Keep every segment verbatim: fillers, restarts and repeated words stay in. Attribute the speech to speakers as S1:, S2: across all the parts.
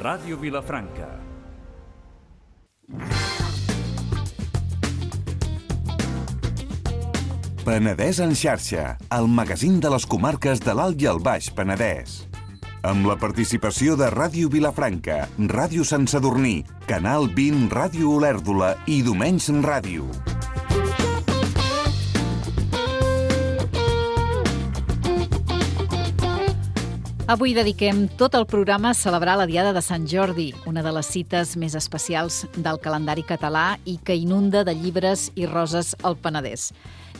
S1: Ràdio Vilafranca.
S2: Penedès en xarxa, el magazín de les comarques de l'Alt i el Baix Penedès. Amb la participació de Ràdio Vilafranca, Ràdio Sant Sadurní, Canal vint Ràdio Olèrdola i Domenys Ràdio.
S3: Avui dediquem tot el programa a celebrar la Diada de Sant Jordi, una de les cites més especials del calendari català i que inunda de llibres i roses el Penedès.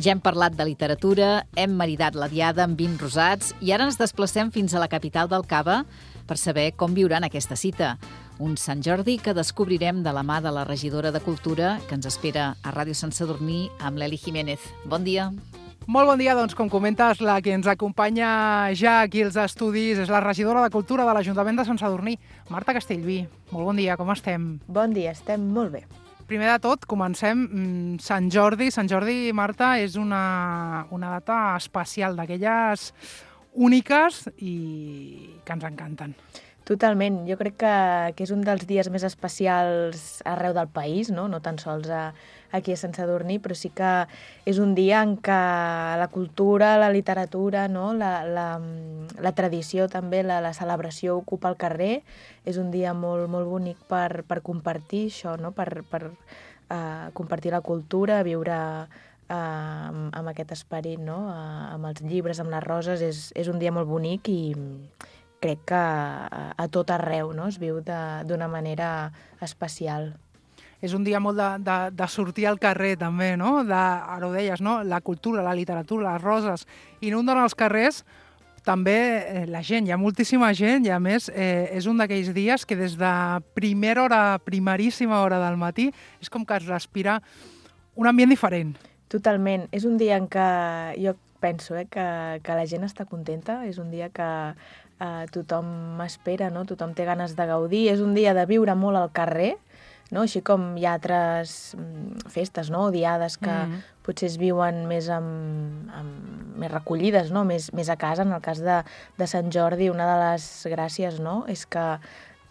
S3: Ja hem parlat de literatura, hem maridat la Diada amb vins rosats i ara ens desplacem fins a la capital del Cava per saber com viuran aquesta cita. Un Sant Jordi que descobrirem de la mà de la regidora de Cultura que ens espera a Ràdio Sant Sadurní amb l'Eli Jiménez. Bon dia.
S4: Molt bon dia, doncs com comentes, la que ens acompanya ja aquí als estudis és la regidora de Cultura de l'Ajuntament de Sant Sadurní, Marta Castellví. Molt bon dia, com estem?
S5: Bon dia, estem molt bé.
S4: Primer de tot, comencem. Sant Jordi. Sant Jordi, Marta, és una, una data especial, d'aquelles úniques i que ens encanten.
S5: Totalment. Jo crec que, que és un dels dies més especials arreu del país, no, no tan sols a, aquí a Sant Sadurní, però sí que és un dia en què la cultura, la literatura, no, la, la, la tradició també, la, la celebració ocupa el carrer. És un dia molt, molt bonic per, per compartir això, no, per, per uh, compartir la cultura, viure uh, amb, amb aquest esperit, no, uh, amb els llibres, amb les roses. És, és un dia molt bonic i crec que a, a tot arreu, no, es viu d'una manera especial.
S4: És un dia molt de, de, de sortir al carrer, també, no? De, ara ho deies, no? La cultura, la literatura, les roses, inunden els carrers, també eh, la gent, hi ha moltíssima gent, i a més eh, és un d'aquells dies que des de primera hora, primeríssima hora del matí, és com que es respira un ambient diferent.
S5: Totalment. És un dia en què jo penso eh, que, que la gent està contenta, és un dia que eh, tothom espera, no? Tothom té ganes de gaudir, és un dia de viure molt al carrer, no? Així com hi ha altres festes, no? O diades que mm-hmm. potser es viuen més, amb, amb, més recollides, no? més, més a casa. En el cas de, de Sant Jordi, una de les gràcies, no? és que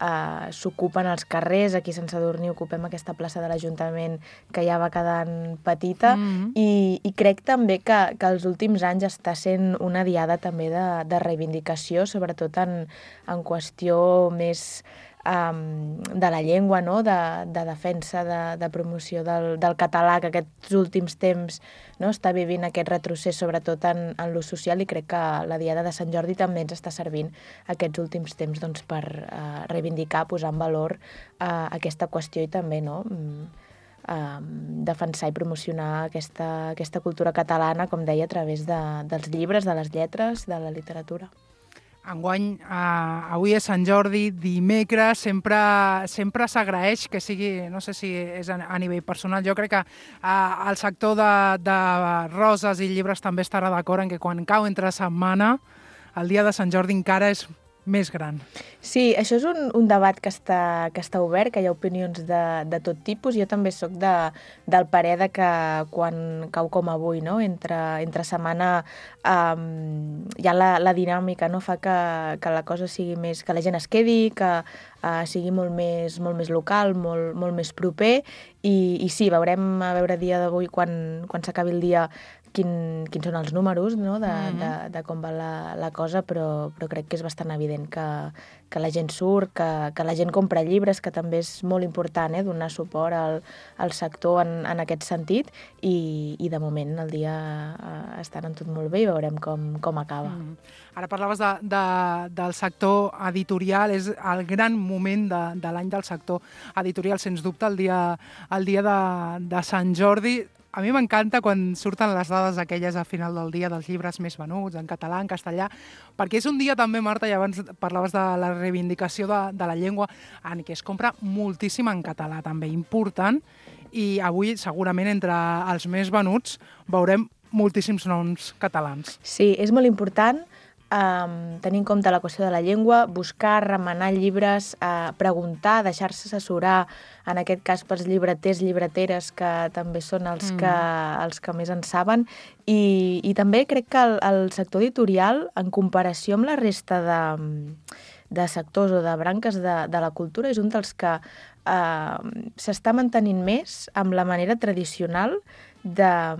S5: eh, s'ocupen els carrers. Aquí a Sant Sadurní ocupem aquesta plaça de l'Ajuntament que ja va quedant petita mm-hmm. i, i crec també que, que els últims anys està sent una diada també de, de reivindicació, sobretot en, en qüestió més Um, de la llengua, no? de, de defensa, de, de promoció del, del català, que aquests últims temps, no? està vivint aquest retrocés, sobretot en, en l'ús social, i crec que la Diada de Sant Jordi també ens està servint aquests últims temps doncs, per uh, reivindicar, posar en valor uh, aquesta qüestió i també no? um, uh, defensar i promocionar aquesta, aquesta cultura catalana, com deia, a través de, dels llibres, de les lletres, de la literatura.
S4: Enguany, eh, avui és Sant Jordi, dimecres, sempre, sempre s'agraeix que sigui, no sé si és a, a nivell personal, jo crec que eh, el sector de, de roses i llibres també estarà d'acord en que quan cau entre setmana, el dia de Sant Jordi encara és més gran.
S5: Sí, això és un, un debat que està, que està obert, que hi ha opinions de, de tot tipus. Jo també sóc de, del parer de que quan cau com avui, no? entre, entre setmana, um, ja la, la dinàmica no? fa que, que la cosa sigui més, que la gent es quedi, que uh, sigui molt més, molt més local, molt, molt més proper, i, i sí, veurem a veure dia d'avui, quan, quan s'acabi el dia, Quin, quins són els números no? de, mm-hmm. de, de com va la, la cosa, però, però crec que és bastant evident que, que la gent surt, que, que la gent compra llibres, que també és molt important eh? donar suport al, al sector en, en aquest sentit, i, i de moment el dia eh, està anant tot molt bé i veurem com, com acaba.
S4: Mm. Ara parlaves de, de, del sector editorial, és el gran moment de, de l'any del sector editorial, sens dubte, el dia, el dia de, de Sant Jordi. A mi m'encanta quan surten les dades aquelles a final del dia dels llibres més venuts, en català, en castellà, perquè és un dia també, Marta, i abans parlaves de la reivindicació de, de la llengua, en què es compra moltíssim en català també, important, i avui segurament entre els més venuts veurem moltíssims noms catalans.
S5: Sí, és molt important Um, tenir en compte la qüestió de la llengua, buscar, remenar llibres, uh, preguntar, deixar-se assessorar, en aquest cas pels llibreters, llibreteres, que també són els, mm. que, els que més en saben, i, i també crec que el, el sector editorial, en comparació amb la resta de, de sectors o de branques de, de la cultura, és un dels que eh, s'està mantenint més amb la manera tradicional de,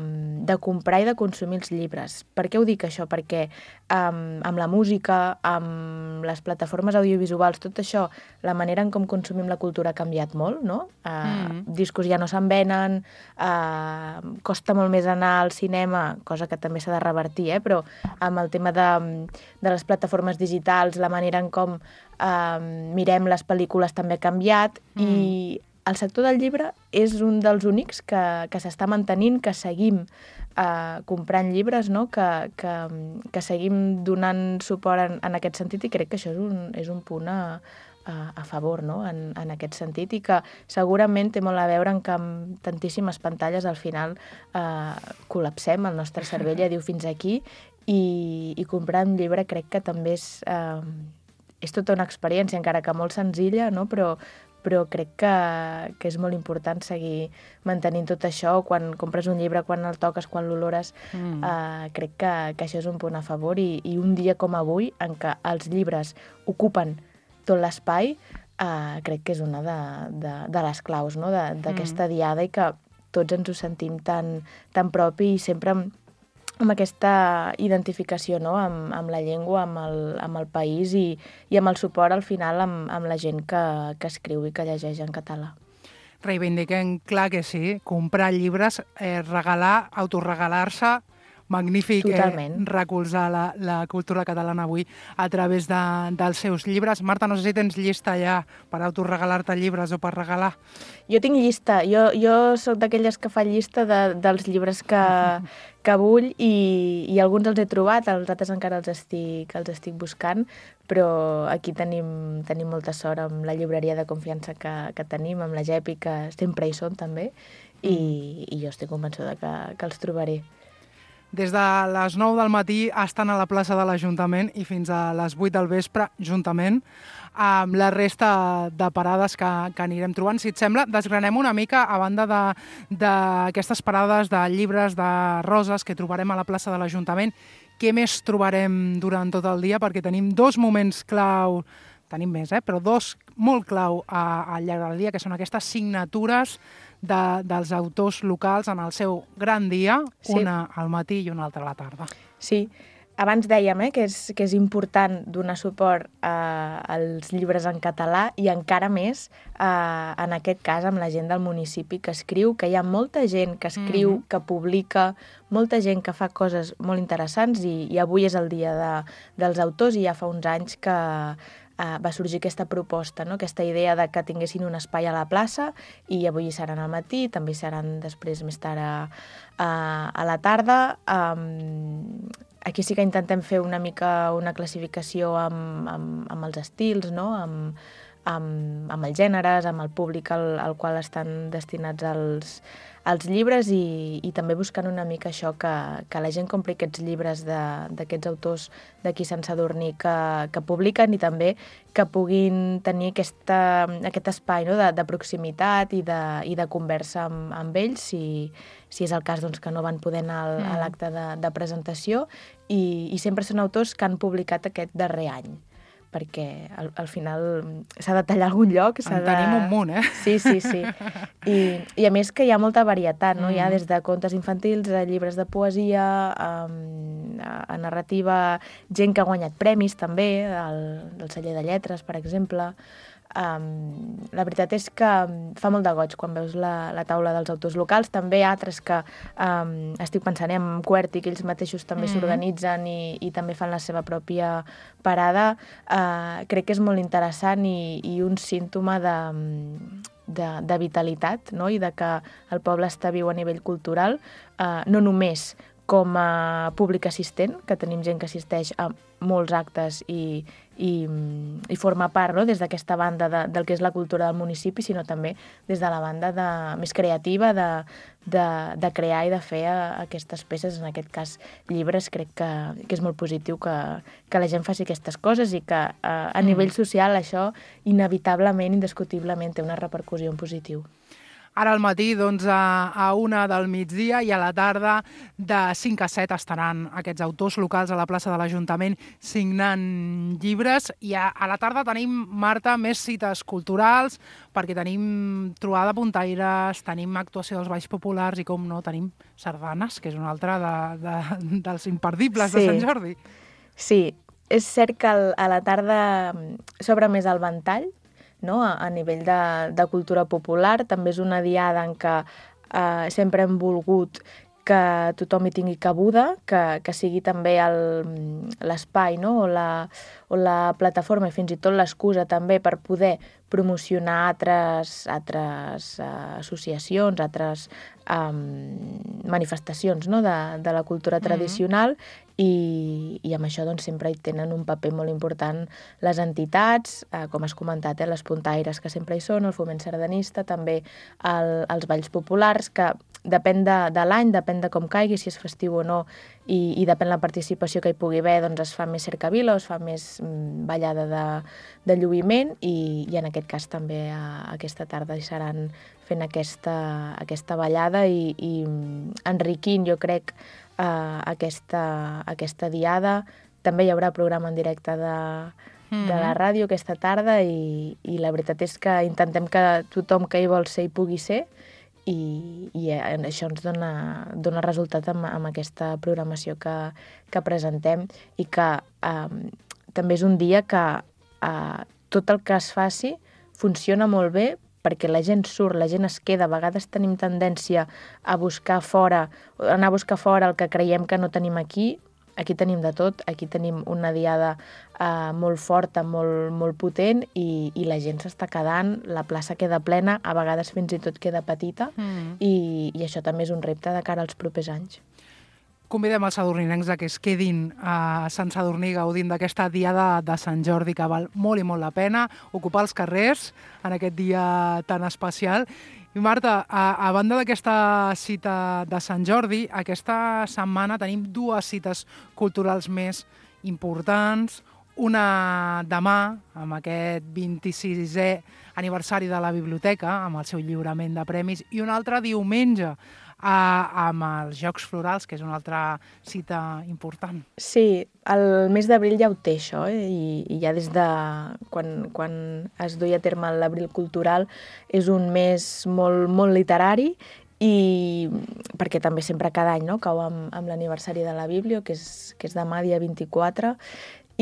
S5: de comprar i de consumir els llibres. Per què ho dic això? Perquè um, amb la música, amb les plataformes audiovisuals, tot això, la manera en com consumim la cultura ha canviat molt, no? Uh, mm. Discos ja no se'n venen, uh, costa molt més anar al cinema, cosa que també s'ha de revertir, eh? Però amb el tema de, de les plataformes digitals, la manera en com uh, mirem les pel·lícules també ha canviat mm. i el sector del llibre és un dels únics que, que s'està mantenint, que seguim eh, comprant llibres, no? que, que, que seguim donant suport en, en aquest sentit, i crec que això és un, és un punt a, a, a favor, no? en, en aquest sentit, i que segurament té molt a veure en que amb tantíssimes pantalles al final eh, col·lapsem, el nostre cervell ja diu fins aquí, i, i comprar un llibre crec que també és, eh, és tota una experiència, encara que molt senzilla, no? però però crec que, que és molt important seguir mantenint tot això. Quan compres un llibre, quan el toques, quan l'olores, mm. eh, crec que, que això és un punt a favor, i, i un dia com avui, en què els llibres ocupen tot l'espai, eh, crec que és una de, de, de les claus, no? d'aquesta mm. diada, i que tots ens ho sentim tan, tan propi, i sempre amb, amb aquesta identificació, no? amb, amb la llengua, amb el, amb el país, i, i amb el suport al final amb, amb la gent que, que escriu i que llegeix en català.
S4: Reivindiquem, clar que sí, comprar llibres, eh, regalar, autoregalar-se, magnífic eh, recolzar la, la cultura catalana avui a través de, dels seus llibres. Marta, no sé si tens llista ja per autoregalar-te llibres o per regalar.
S5: Jo tinc llista. Jo, jo sóc d'aquelles que fa llista de, dels llibres que, que vull, i, i alguns els he trobat, els altres encara els estic, els estic buscant, però aquí tenim, tenim molta sort amb la llibreria de confiança que, que tenim, amb la Gepi, que sempre hi són també, i, i jo estic convençuda que, que els trobaré.
S4: Des de les nou del matí estan a la plaça de l'Ajuntament i fins a les vuit del vespre, juntament amb la resta de parades que, que anirem trobant. Si et sembla, desgranem una mica, a banda d'aquestes parades de llibres, de roses que trobarem a la plaça de l'Ajuntament, què més trobarem durant tot el dia? Perquè tenim dos moments clau, tenim més, eh? però dos molt clau a, al llarg del dia, que són aquestes signatures de, dels autors locals en el seu gran dia, sí. una al matí i una altra a la tarda.
S5: Sí, abans dèiem eh, que, és, que és important donar suport eh, als llibres en català, i encara més eh, en aquest cas amb la gent del municipi que escriu, que hi ha molta gent que escriu, mm-hmm. que publica, molta gent que fa coses molt interessants, i, i avui és el dia de, dels autors, i ja fa uns anys que Uh, va sorgir aquesta proposta, no? aquesta idea de que tinguessin un espai a la plaça, i avui hi seran al matí, també hi seran després més tard a, a, a la tarda. Um, aquí sí que intentem fer una mica una classificació amb, amb, amb els estils, no? amb, amb, amb els gèneres, amb el públic al, al qual estan destinats els, els llibres, i, i també buscant una mica això, que, que la gent compri aquests llibres d'aquests autors d'aquí Sant Sadurní que, que publiquen, i també que puguin tenir aquesta, aquest espai, no? de, de proximitat i de, i de conversa amb, amb ells, si, si és el cas doncs, que no van poder anar al, a l'acte de, de presentació, i, i sempre són autors que han publicat aquest darrer any, perquè al, al final s'ha de tallar algun lloc.
S4: En tenim un munt, eh?
S5: Sí, sí, sí. I, i a més que hi ha molta varietat, no? Mm. Hi ha des de contes infantils, a llibres de poesia, a, a narrativa, gent que ha guanyat premis també, el, el celler de lletres, per exemple. Um, la veritat és que fa molt de goig quan veus la, la taula dels autors locals. També altres que um, estic pensant en QWERTY, que ells mateixos també mm. s'organitzen i, i també fan la seva pròpia parada. Uh, crec que és molt interessant, i, i un símptoma de, de, de vitalitat, no? I de que el poble està viu a nivell cultural, uh, no només com a públic assistent, que tenim gent que assisteix a molts actes i, i, i forma part, no? des d'aquesta banda de, del que és la cultura del municipi, sinó també des de la banda de, més creativa de, de, de crear i de fer a, aquestes peces, en aquest cas llibres. Crec que, que és molt positiu que, que la gent faci aquestes coses, i que a, a nivell social això inevitablement, indiscutiblement té una repercussió en positiu.
S4: Ara al matí doncs, a, a una del migdia i a la tarda de cinc a set estaran aquests autors locals a la plaça de l'Ajuntament signant llibres i a, a la tarda tenim, Marta, més cites culturals perquè tenim trobada de puntaires, tenim actuació dels balls populars i, com no, tenim sardanes, que és una altra de, de, dels imperdibles sí. de Sant Jordi.
S5: Sí, és cert que a la tarda s'obre més el ventall, no? a, a nivell de, de cultura popular. També és una diada en què eh, sempre hem volgut que tothom hi tingui cabuda, que, que sigui també l'espai, no? o, la, o la plataforma i fins i tot l'excusa també per poder promocionar altres, altres uh, associacions, altres um, manifestacions, no? de, de la cultura tradicional mm-hmm. i, i amb això doncs, sempre hi tenen un paper molt important les entitats, uh, com has comentat, eh, les puntaires que sempre hi són, el foment sardanista, també el, els balls populars, que depèn de, de l'any, depèn de com caigui, si és festiu o no, i, i depèn la participació que hi pugui haver, doncs es fa més cercavila o es fa més mm, ballada de, de lluïment i, i en aquest cas també a, aquesta tarda hi seran fent aquesta, aquesta ballada i, i enriquint, jo crec, uh, aquesta, aquesta diada. També hi haurà programa en directe de, mm-hmm. de la ràdio aquesta tarda i, i la veritat és que intentem que tothom que hi vol ser hi pugui ser i, i això ens dona, dona resultat amb, amb aquesta programació que, que presentem i que eh, també és un dia que eh, tot el que es faci funciona molt bé perquè la gent surt, la gent es queda. A vegades tenim tendència a buscar fora, a anar a buscar fora el que creiem que no tenim aquí. Aquí tenim de tot, aquí tenim una diada eh, molt forta, molt, molt potent i, i la gent s'està quedant, la plaça queda plena, a vegades fins i tot queda petita mm. i, i això també és un repte de cara als propers anys.
S4: Convidem els sadurninencs a que es quedin a Sant Sadurní gaudint d'aquesta diada de Sant Jordi que val molt i molt la pena ocupar els carrers en aquest dia tan especial. I Marta, a, a banda d'aquesta cita de Sant Jordi, aquesta setmana tenim dues cites culturals més importants. Una demà, amb aquest vint-i-sisè aniversari de la biblioteca, amb el seu lliurament de premis, i una altra diumenge, a, amb els Jocs Florals, que és una altra cita important.
S5: Sí, el mes d'abril ja ho té això, eh? I, i ja des de quan, quan es duia a terme l'abril cultural és un mes molt, molt literari i perquè també sempre cada any no? cau amb, amb l'aniversari de la Biblio, que és, que és demà, dia vint-i-quatre,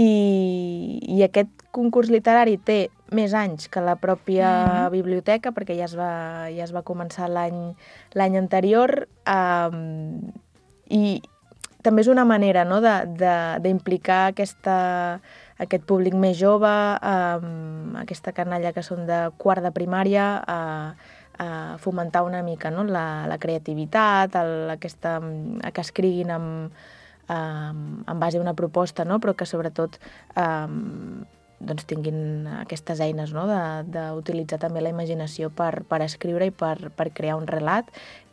S5: i, i aquest concurs literari té més anys que la pròpia mm-hmm. biblioteca, perquè ja es va, ja es va començar l'any l'any anterior, um, i també és una manera no, d'implicar aquesta, aquest públic més jove, um, aquesta canalla que són de quart de primària, a, a fomentar una mica no, la, la creativitat, el, aquesta, a que escriguin amb, amb, en base a una proposta, no, però que sobretot um, doncs tinguin aquestes eines no? d'utilitzar també la imaginació per, per escriure i per, per crear un relat.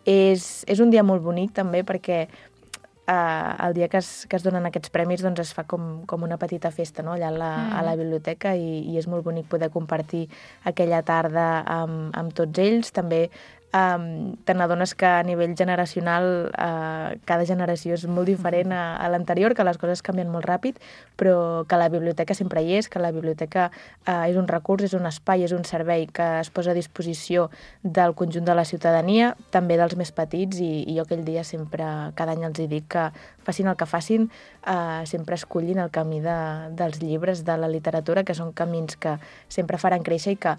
S5: És, és un dia molt bonic també perquè eh, el dia que es, que es donen aquests premis doncs es fa com, com una petita festa no? allà a la, mm. a la biblioteca i, i és molt bonic poder compartir aquella tarda amb, amb tots ells. També Um, te n'adones que a nivell generacional uh, cada generació és molt diferent a, a l'anterior, que les coses canvien molt ràpid, però que la biblioteca sempre hi és, que la biblioteca uh, és un recurs, és un espai, és un servei que es posa a disposició del conjunt de la ciutadania, també dels més petits, i, i jo aquell dia sempre, cada any els hi dic que facin el que facin, uh, sempre escollin el camí de, dels llibres, de la literatura, que són camins que sempre faran créixer i que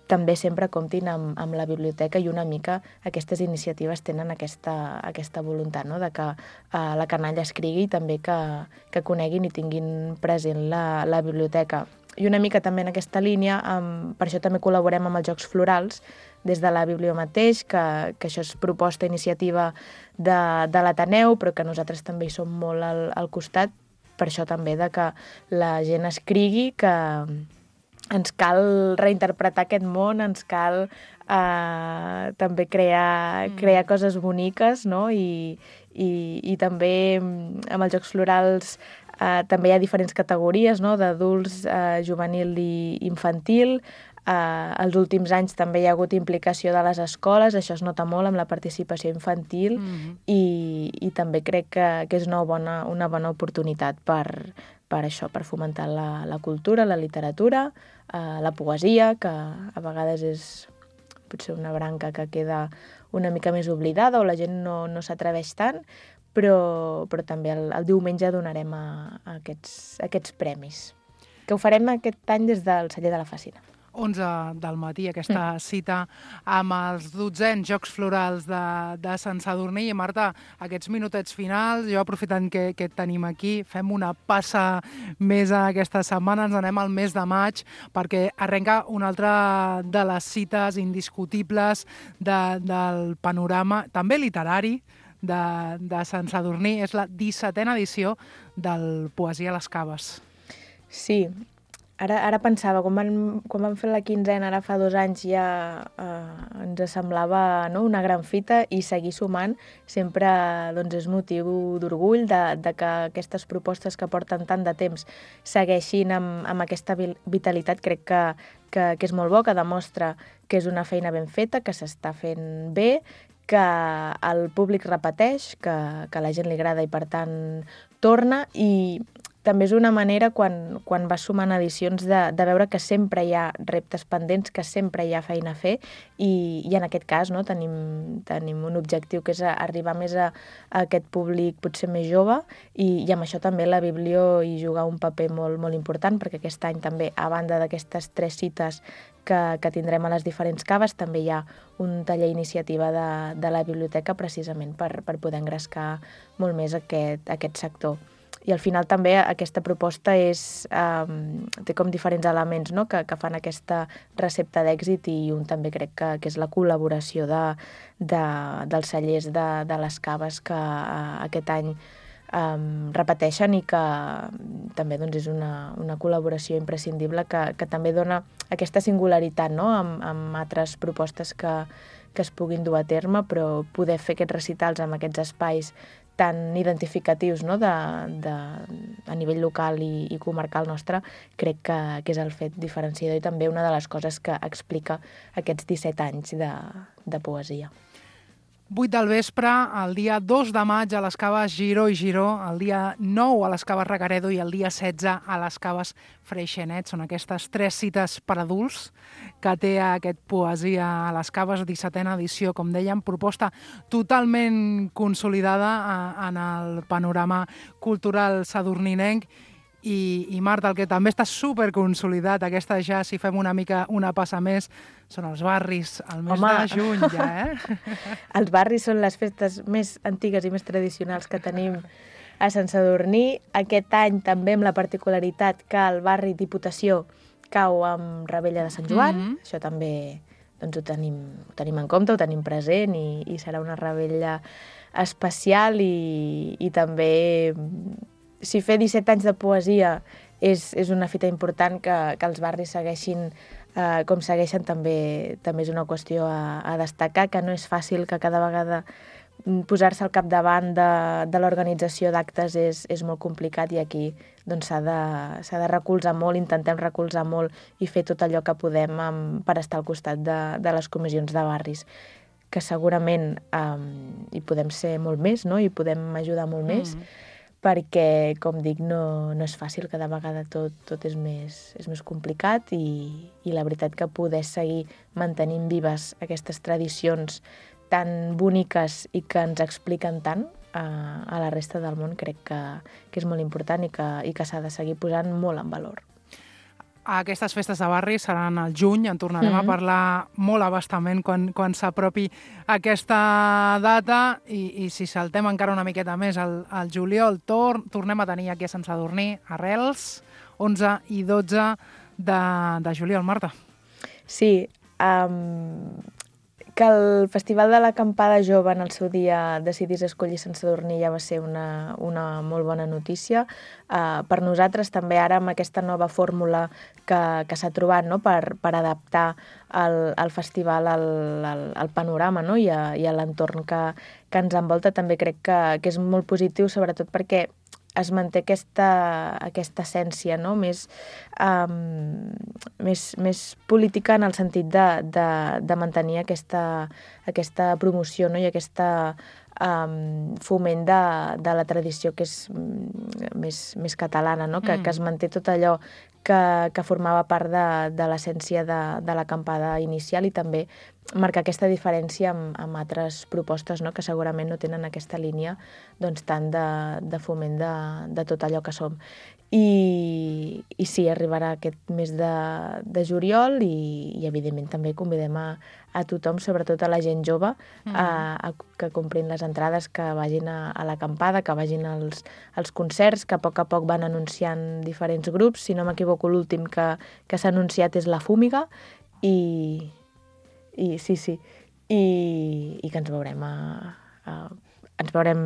S5: també sempre comptin amb, amb la biblioteca i una mica aquestes iniciatives tenen aquesta, aquesta voluntat, no? de que uh, la canalla escrigui i també que, que coneguin i tinguin present la, la biblioteca. I una mica també en aquesta línia, um, per això també col·laborem amb els Jocs Florals des de la Biblio mateix, que, que això és proposta, iniciativa de, de l'Ateneu, però que nosaltres també hi som molt al, al costat, per això també de que la gent escrigui, que ens cal reinterpretar aquest món, ens cal eh, també crear, crear coses boniques, no? I, i, i també amb els Jocs Florals eh, també hi ha diferents categories, no? D'adults, eh, juvenil i infantil. Uh, els últims anys també hi ha hagut implicació de les escoles, això es nota molt amb la participació infantil, mm-hmm. i, i també crec que, que és una bona, una bona oportunitat per, per això, per fomentar la, la cultura, la literatura, uh, la poesia, que a vegades és potser una branca que queda una mica més oblidada o la gent no, no s'atreveix tant, però, però també el, el diumenge donarem a, a, aquests, a aquests premis, que ho farem aquest any des del Celler de la Fàcina.
S4: onze del matí, aquesta cita amb els dotzens Jocs Florals de, de Sant Sadurní. I Marta, aquests minutets finals, jo aprofitant que, que et tenim aquí, fem una passa més aquesta setmana, ens anem al mes de maig, perquè arrenca una altra de les cites indiscutibles de, del panorama, també literari, de, de Sant Sadurní. És la dissetena edició del Poesia a les Caves.
S5: Sí, Ara, ara pensava, quan van, quan van fer la quinzena, ara fa dos anys, ja eh, ens semblava, no?, una gran fita, i seguir sumant sempre, doncs, és motiu d'orgull de, de que aquestes propostes que porten tant de temps segueixin amb, amb aquesta vitalitat. Crec que, que, que és molt bo, que demostra que és una feina ben feta, que s'està fent bé, que el públic repeteix, que, que a la gent li agrada i, per tant, torna, i també és una manera, quan, quan vas sumant edicions, de, de veure que sempre hi ha reptes pendents, que sempre hi ha feina a fer, i, i en aquest cas, no, tenim, tenim un objectiu que és arribar més a, a aquest públic potser més jove, i, i amb això també la Biblio hi juga un paper molt, molt important, perquè aquest any també, a banda d'aquestes tres cites que, que tindrem a les diferents caves, també hi ha un taller iniciativa de, de la biblioteca, precisament per, per poder engrescar molt més aquest, aquest sector. I al final també aquesta proposta és, um, té com diferents elements, no?, que, que fan aquesta recepta d'èxit, i un també crec que, que és la col·laboració de, de, dels cellers de, de les caves, que uh, aquest any um, repeteixen, i que també, doncs, és una, una col·laboració imprescindible que, que també dona aquesta singularitat, no?, amb, amb altres propostes que, que es puguin dur a terme, però poder fer aquests recitals amb aquests espais tan identificatius, no?, de, de, a nivell local i, i comarcal nostre, crec que, que és el fet diferenciador, i també una de les coses que explica aquests disset anys de, de poesia.
S4: vuit del vespre, el dia dos de maig a les caves Giró i Giró, el dia nou a les caves Recaredo i el dia setze a les caves Freixenet. Són aquestes tres cites per adults que té aquest Poesia a les caves, dissetena edició, com dèiem, proposta totalment consolidada en el panorama cultural sadurninenc. I, i Marta, el que també està superconsolidat, aquesta ja, si fem una mica una passa més, són els barris, el mes Home. de juny ja, eh?
S5: Els barris són les festes més antigues i més tradicionals que tenim a Sant Sadurní. Aquest any també amb la particularitat que el barri Diputació cau amb Revetlla de Sant Joan, mm-hmm. Això també, doncs, ho tenim, ho tenim en compte, ho tenim present, i, i serà una revetlla especial, i, i també, si fer disset anys de poesia és, és una fita important, que, que els barris segueixin eh, com segueixen, també, també és una qüestió a, a destacar, que no és fàcil, que cada vegada posar-se al capdavant de, de l'organització d'actes és, és molt complicat, i aquí doncs, s'ha de, s'ha de recolzar molt, intentem recolzar molt i fer tot allò que podem amb, per estar al costat de, de les comissions de barris, que segurament um, hi podem ser molt més, no?, i podem ajudar molt mm. més, perquè, com dic, no, no és fàcil, cada vegada tot, tot és, més, és més complicat, i, i la veritat que poder seguir mantenint vives aquestes tradicions tan boniques i que ens expliquen tant a, a la resta del món, crec que, que és molt important, i que, i que s'ha de seguir posant molt en valor.
S4: Aquestes festes de barri seran al juny, en tornarem mm-hmm. a parlar molt abastament quan, quan s'apropi aquesta data, i, i si saltem encara una miqueta més al, al juliol, tor, tornem a tenir aquí a Sant Sadurní Arrels, onze i dotze de, de juliol. Marta.
S5: Sí, um, que el Festival de l'Acampada Jove en el seu dia decidís escollir Sant Sadurní ja va ser una, una molt bona notícia. Uh, per nosaltres també ara, amb aquesta nova fórmula que, que s'ha trobat, no?, per, per adaptar el, el festival al, al, al panorama, no?, i a, i a l'entorn que, que ens envolta, també crec que, que és molt positiu, sobretot perquè es manté aquesta, aquesta essència, no?, més um, més, més política en el sentit de, de, de mantenir aquesta, aquesta promoció, no? I aquesta um, foment de, de la tradició que és més, més catalana, no? Que, mm. que es manté tot allò que, que formava part de, de l'essència de, de l'acampada inicial i també marcar aquesta diferència amb, amb altres propostes, no? Que segurament no tenen aquesta línia doncs, tant de, de foment de, de tot allò que som. I, i sí, arribarà aquest mes de, de juliol i, i evidentment també convidem a, a tothom, sobretot a la gent jove, mm. a, a que comprin les entrades, que vagin a, a l'acampada, que vagin als, als concerts, que a poc a poc van anunciant diferents grups. Si no m'equivoco, l'últim que, que s'ha anunciat és La Fúmiga i, i sí, sí, i, i que ens veurem a, a, ens veurem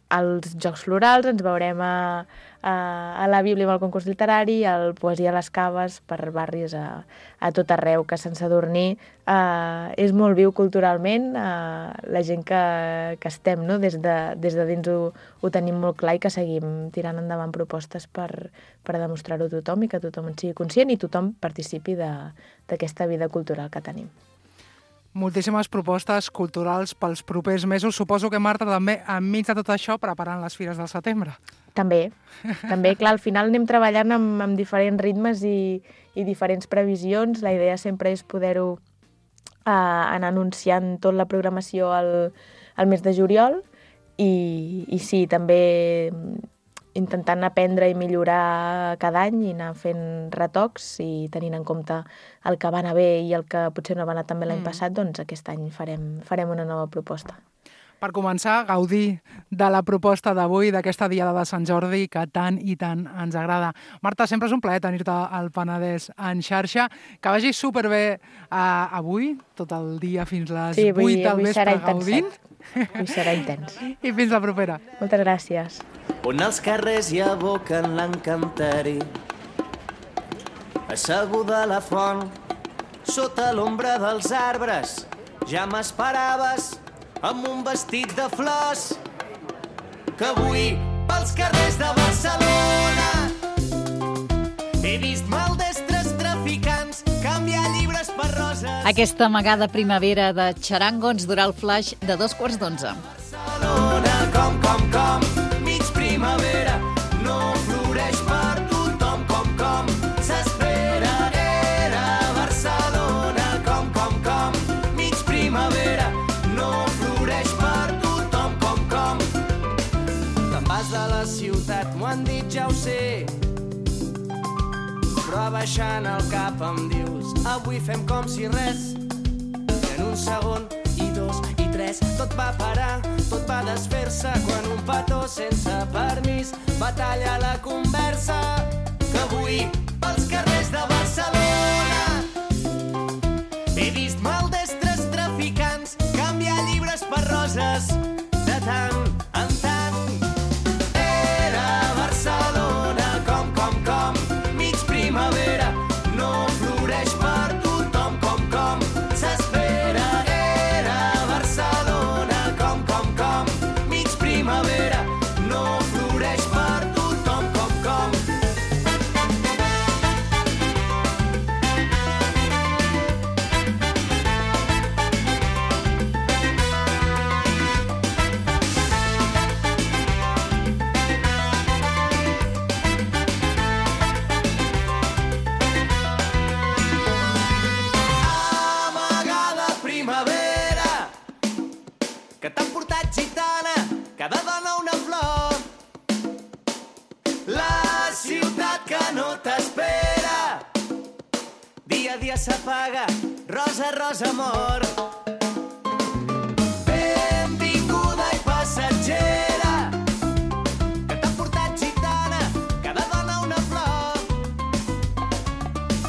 S5: als Jocs Florals, ens veurem a, a, a la Bíblia amb el concurs literari, al Poesia a les Caves, per barris a, a tot arreu, que Sant Sadurní eh, és molt viu culturalment, eh, la gent que, que estem, no? des, de, des de dins ho, ho tenim molt clar i que seguim tirant endavant propostes per, per demostrar-ho a tothom i que tothom en sigui conscient i tothom participi d'aquesta vida cultural que tenim.
S4: Moltíssimes propostes culturals pels propers mesos. Suposo que, Marta, també enmig de tot això preparant les fires del setembre.
S5: També, també, clar, al final anem treballant amb, amb diferents ritmes i, i diferents previsions. La idea sempre és poder-ho eh, anar anunciant tota la programació al, al mes de juliol i, i sí, també intentant aprendre i millorar cada any i anar fent retocs i tenint en compte el que va anar bé i el que potser no va anar tan bé l'any mm. passat, doncs aquest any farem, farem una nova proposta.
S4: Per començar, gaudir de la proposta d'avui, d'aquesta diada de Sant Jordi que tant i tant ens agrada. Marta, sempre és un plaer tenir-te al Penedès en xarxa. Que vagi superbé uh, avui, tot el dia fins les
S5: sí, avui,
S4: vuit del vespre gaudint.
S5: Avui serà intens.
S4: I fins la propera.
S5: Moltes gràcies.
S6: On els carrers hi aboquen l'encanteri, asseguda a la font, sota l'ombra dels arbres, ja m'esperaves amb un vestit de flors, que avui pels carrers de Barcelona he vist maldestres traficants canviar llibres per roses.
S3: Aquesta amagada primavera de Charango ens durà el flash de dos quarts d'onze.
S6: Barcelona, com, com, com, mig primavera, no floreix per tothom, com, com, s'espera. Era Barcelona, com, com, com, mig primavera, no floreix per tothom, com, com. Te'n vas de la ciutat, m'ho han dit, ja ho sé, però abaixant el cap em dius, avui fem com si res, i en un segon i dos i tres tot va parar, tot va desfer-se quan un petó sense permís va tallar la conversa, que avui pels carrers de Barcelona he vist maldestres traficants canviar llibres per roses de tant en tant. Era Barcelona, com, com, com, mig primavera, no floreix per tothom, com, com, s'espera. Era Barcelona, com, com, com, mig primavera, no floreix per tothom, com, com. Amagada primavera, que t'han portat gitana, cada dona una flor. La ciutat que no t'espera, dia a dia s'apaga, rosa, rosa, amor. Benvinguda i passatgera, que t'han portat gitana, cada dona una flor.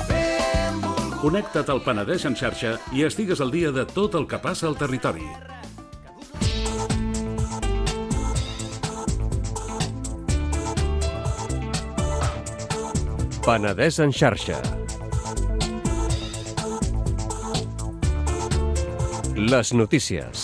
S6: Benvolguda.
S1: Connecta't al Penedès en xarxa i estigues al dia de tot el que passa al territori.
S7: Penedès en xarxa. Les notícies.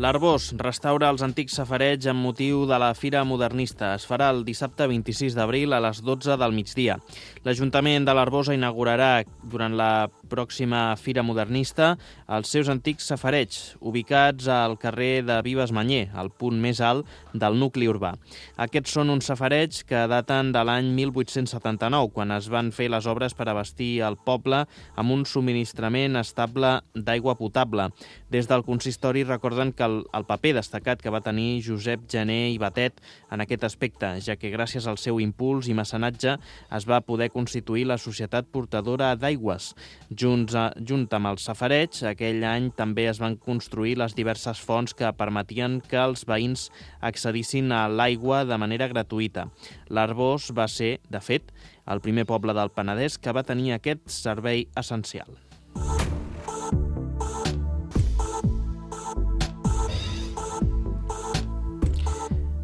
S8: L'Arbós restaura els antics safareigs amb motiu de la Fira Modernista. Es farà el dissabte vint-i-sis d'abril a les dotze del migdia. L'Ajuntament de l'Arbós inaugurarà durant la pròxima Fira Modernista els seus antics safareigs, ubicats al carrer de Vives Manyer, al punt més alt del nucli urbà. Aquests són uns safareigs que daten de l'any mil vuit-cents setanta-nou, quan es van fer les obres per abastir el poble amb un subministrament estable d'aigua potable. Des del consistori recorden que el, el paper destacat que va tenir Josep Gené i Batet en aquest aspecte, ja que gràcies al seu impuls i mecenatge es va poder constituir la Societat Portadora d'Aigües. Junts, a, junt amb els safareigs, aquell any també es van construir les diverses fonts que permetien que els veïns accedissin a l'aigua de manera gratuïta. L'Arbós va ser, de fet, el primer poble del Penedès que va tenir aquest servei essencial.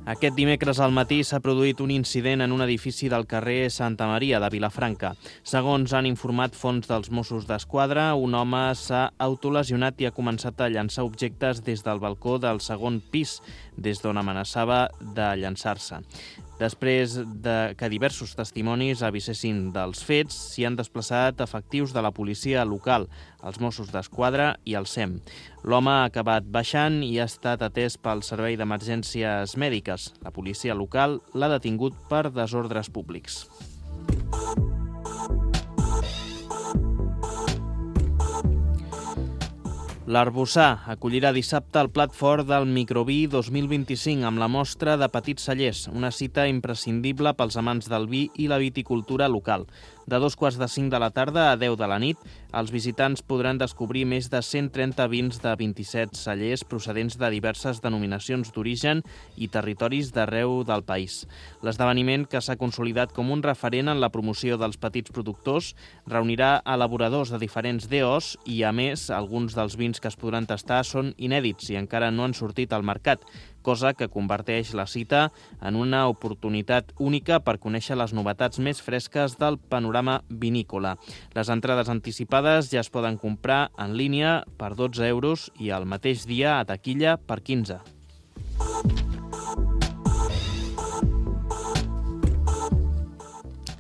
S8: Aquest dimecres al matí s'ha produït un incident en un edifici del carrer Santa Maria de Vilafranca. Segons han informat fonts dels Mossos d'Esquadra, un home s'ha autolesionat i ha començat a llançar objectes des del balcó del segon pis, des d'on amenaçava de llançar-se. Després de que diversos testimonis avisessin dels fets, s'hi han desplaçat efectius de la policia local, els Mossos d'Esquadra i el S E M. L'home ha acabat baixant i ha estat atès pel Servei d'Emergències Mèdiques. La policia local l'ha detingut per desordres públics. L'Arbossar acollirà dissabte el plat fort del Microví dos mil vint-i-cinc amb la mostra de petits cellers, una cita imprescindible pels amants del vi i la viticultura local. De dos quarts de cinc de la tarda a deu de la nit, els visitants podran descobrir més de cent trenta vins de vint-i-set cellers procedents de diverses denominacions d'origen i territoris d'arreu del país. L'esdeveniment, que s'ha consolidat com un referent en la promoció dels petits productors, reunirà elaboradors de diferents D Os i, a més, alguns dels vins que es podran tastar són inèdits i encara no han sortit al mercat, cosa que converteix la cita en una oportunitat única per conèixer les novetats més fresques del panorama vinícola. Les entrades anticipades ja es poden comprar en línia per dotze euros i el mateix dia a taquilla per quinze.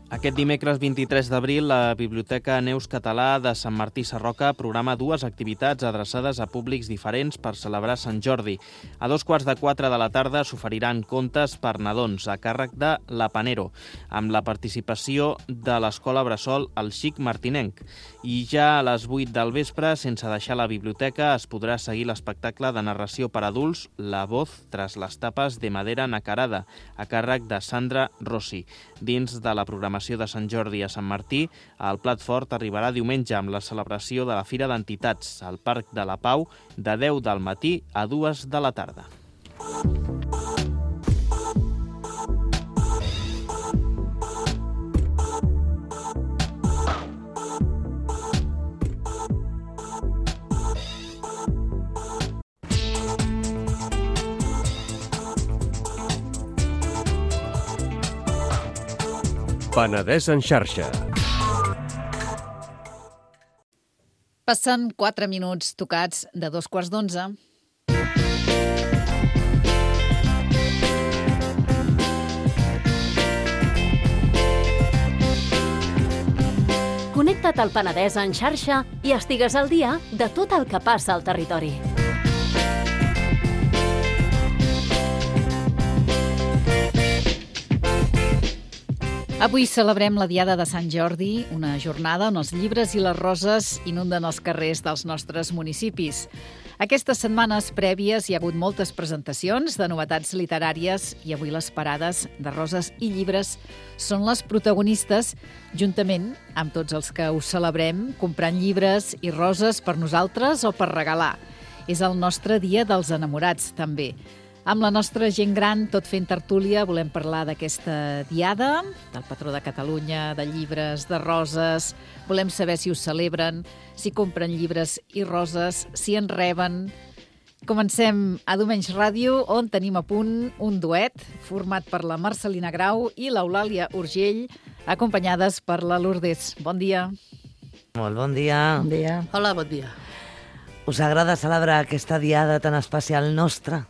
S8: Aquest dimecres vint-i-tres d'abril, la Biblioteca Neus Català de Sant Martí Sarroca programa dues activitats adreçades a públics diferents per celebrar Sant Jordi. A dos quarts de quatre de la tarda s'oferiran contes per nadons a càrrec de l'Hapanero, amb la participació de l'Escola Bressol El Xic Martinenc. I ja a les vuit del vespre, sense deixar la biblioteca, es podrà seguir l'espectacle de narració per adults La voz tras las tapas de madera nacarada, a càrrec de Sandra Rossi. Dins de la programació de Sant Jordi a Sant Martí, el plat fort arribarà diumenge amb la celebració de la Fira d'Entitats al Parc de la Pau de deu del matí a dues de la tarda.
S7: Penedès en xarxa.
S3: Passen quatre minuts tocats de dos quarts d'onze.
S9: Connecta't al Penedès en xarxa i estigues al dia de tot el que passa al territori.
S3: Avui celebrem la Diada de Sant Jordi, una jornada on els llibres i les roses inunden els carrers dels nostres municipis. Aquestes setmanes prèvies hi ha hagut moltes presentacions de novetats literàries i avui les parades de roses i llibres són les protagonistes, juntament amb tots els que ho celebrem, comprant llibres i roses per nosaltres o per regalar. És el nostre dia dels enamorats, també. Amb la nostra gent gran, tot fent tertúlia, volem parlar d'aquesta diada, del patró de Catalunya, de llibres, de roses. Volem saber si ho celebren, si compren llibres i roses, si en reben. Comencem a Domenys Ràdio, on tenim a punt un duet format per la Marcelina Grau i l'Eulàlia Urgell, acompanyades per la Lourdes. Bon dia.
S10: Molt bon dia.
S11: Bon dia.
S12: Hola, bon dia.
S10: Us agrada celebrar aquesta diada tan especial nostra?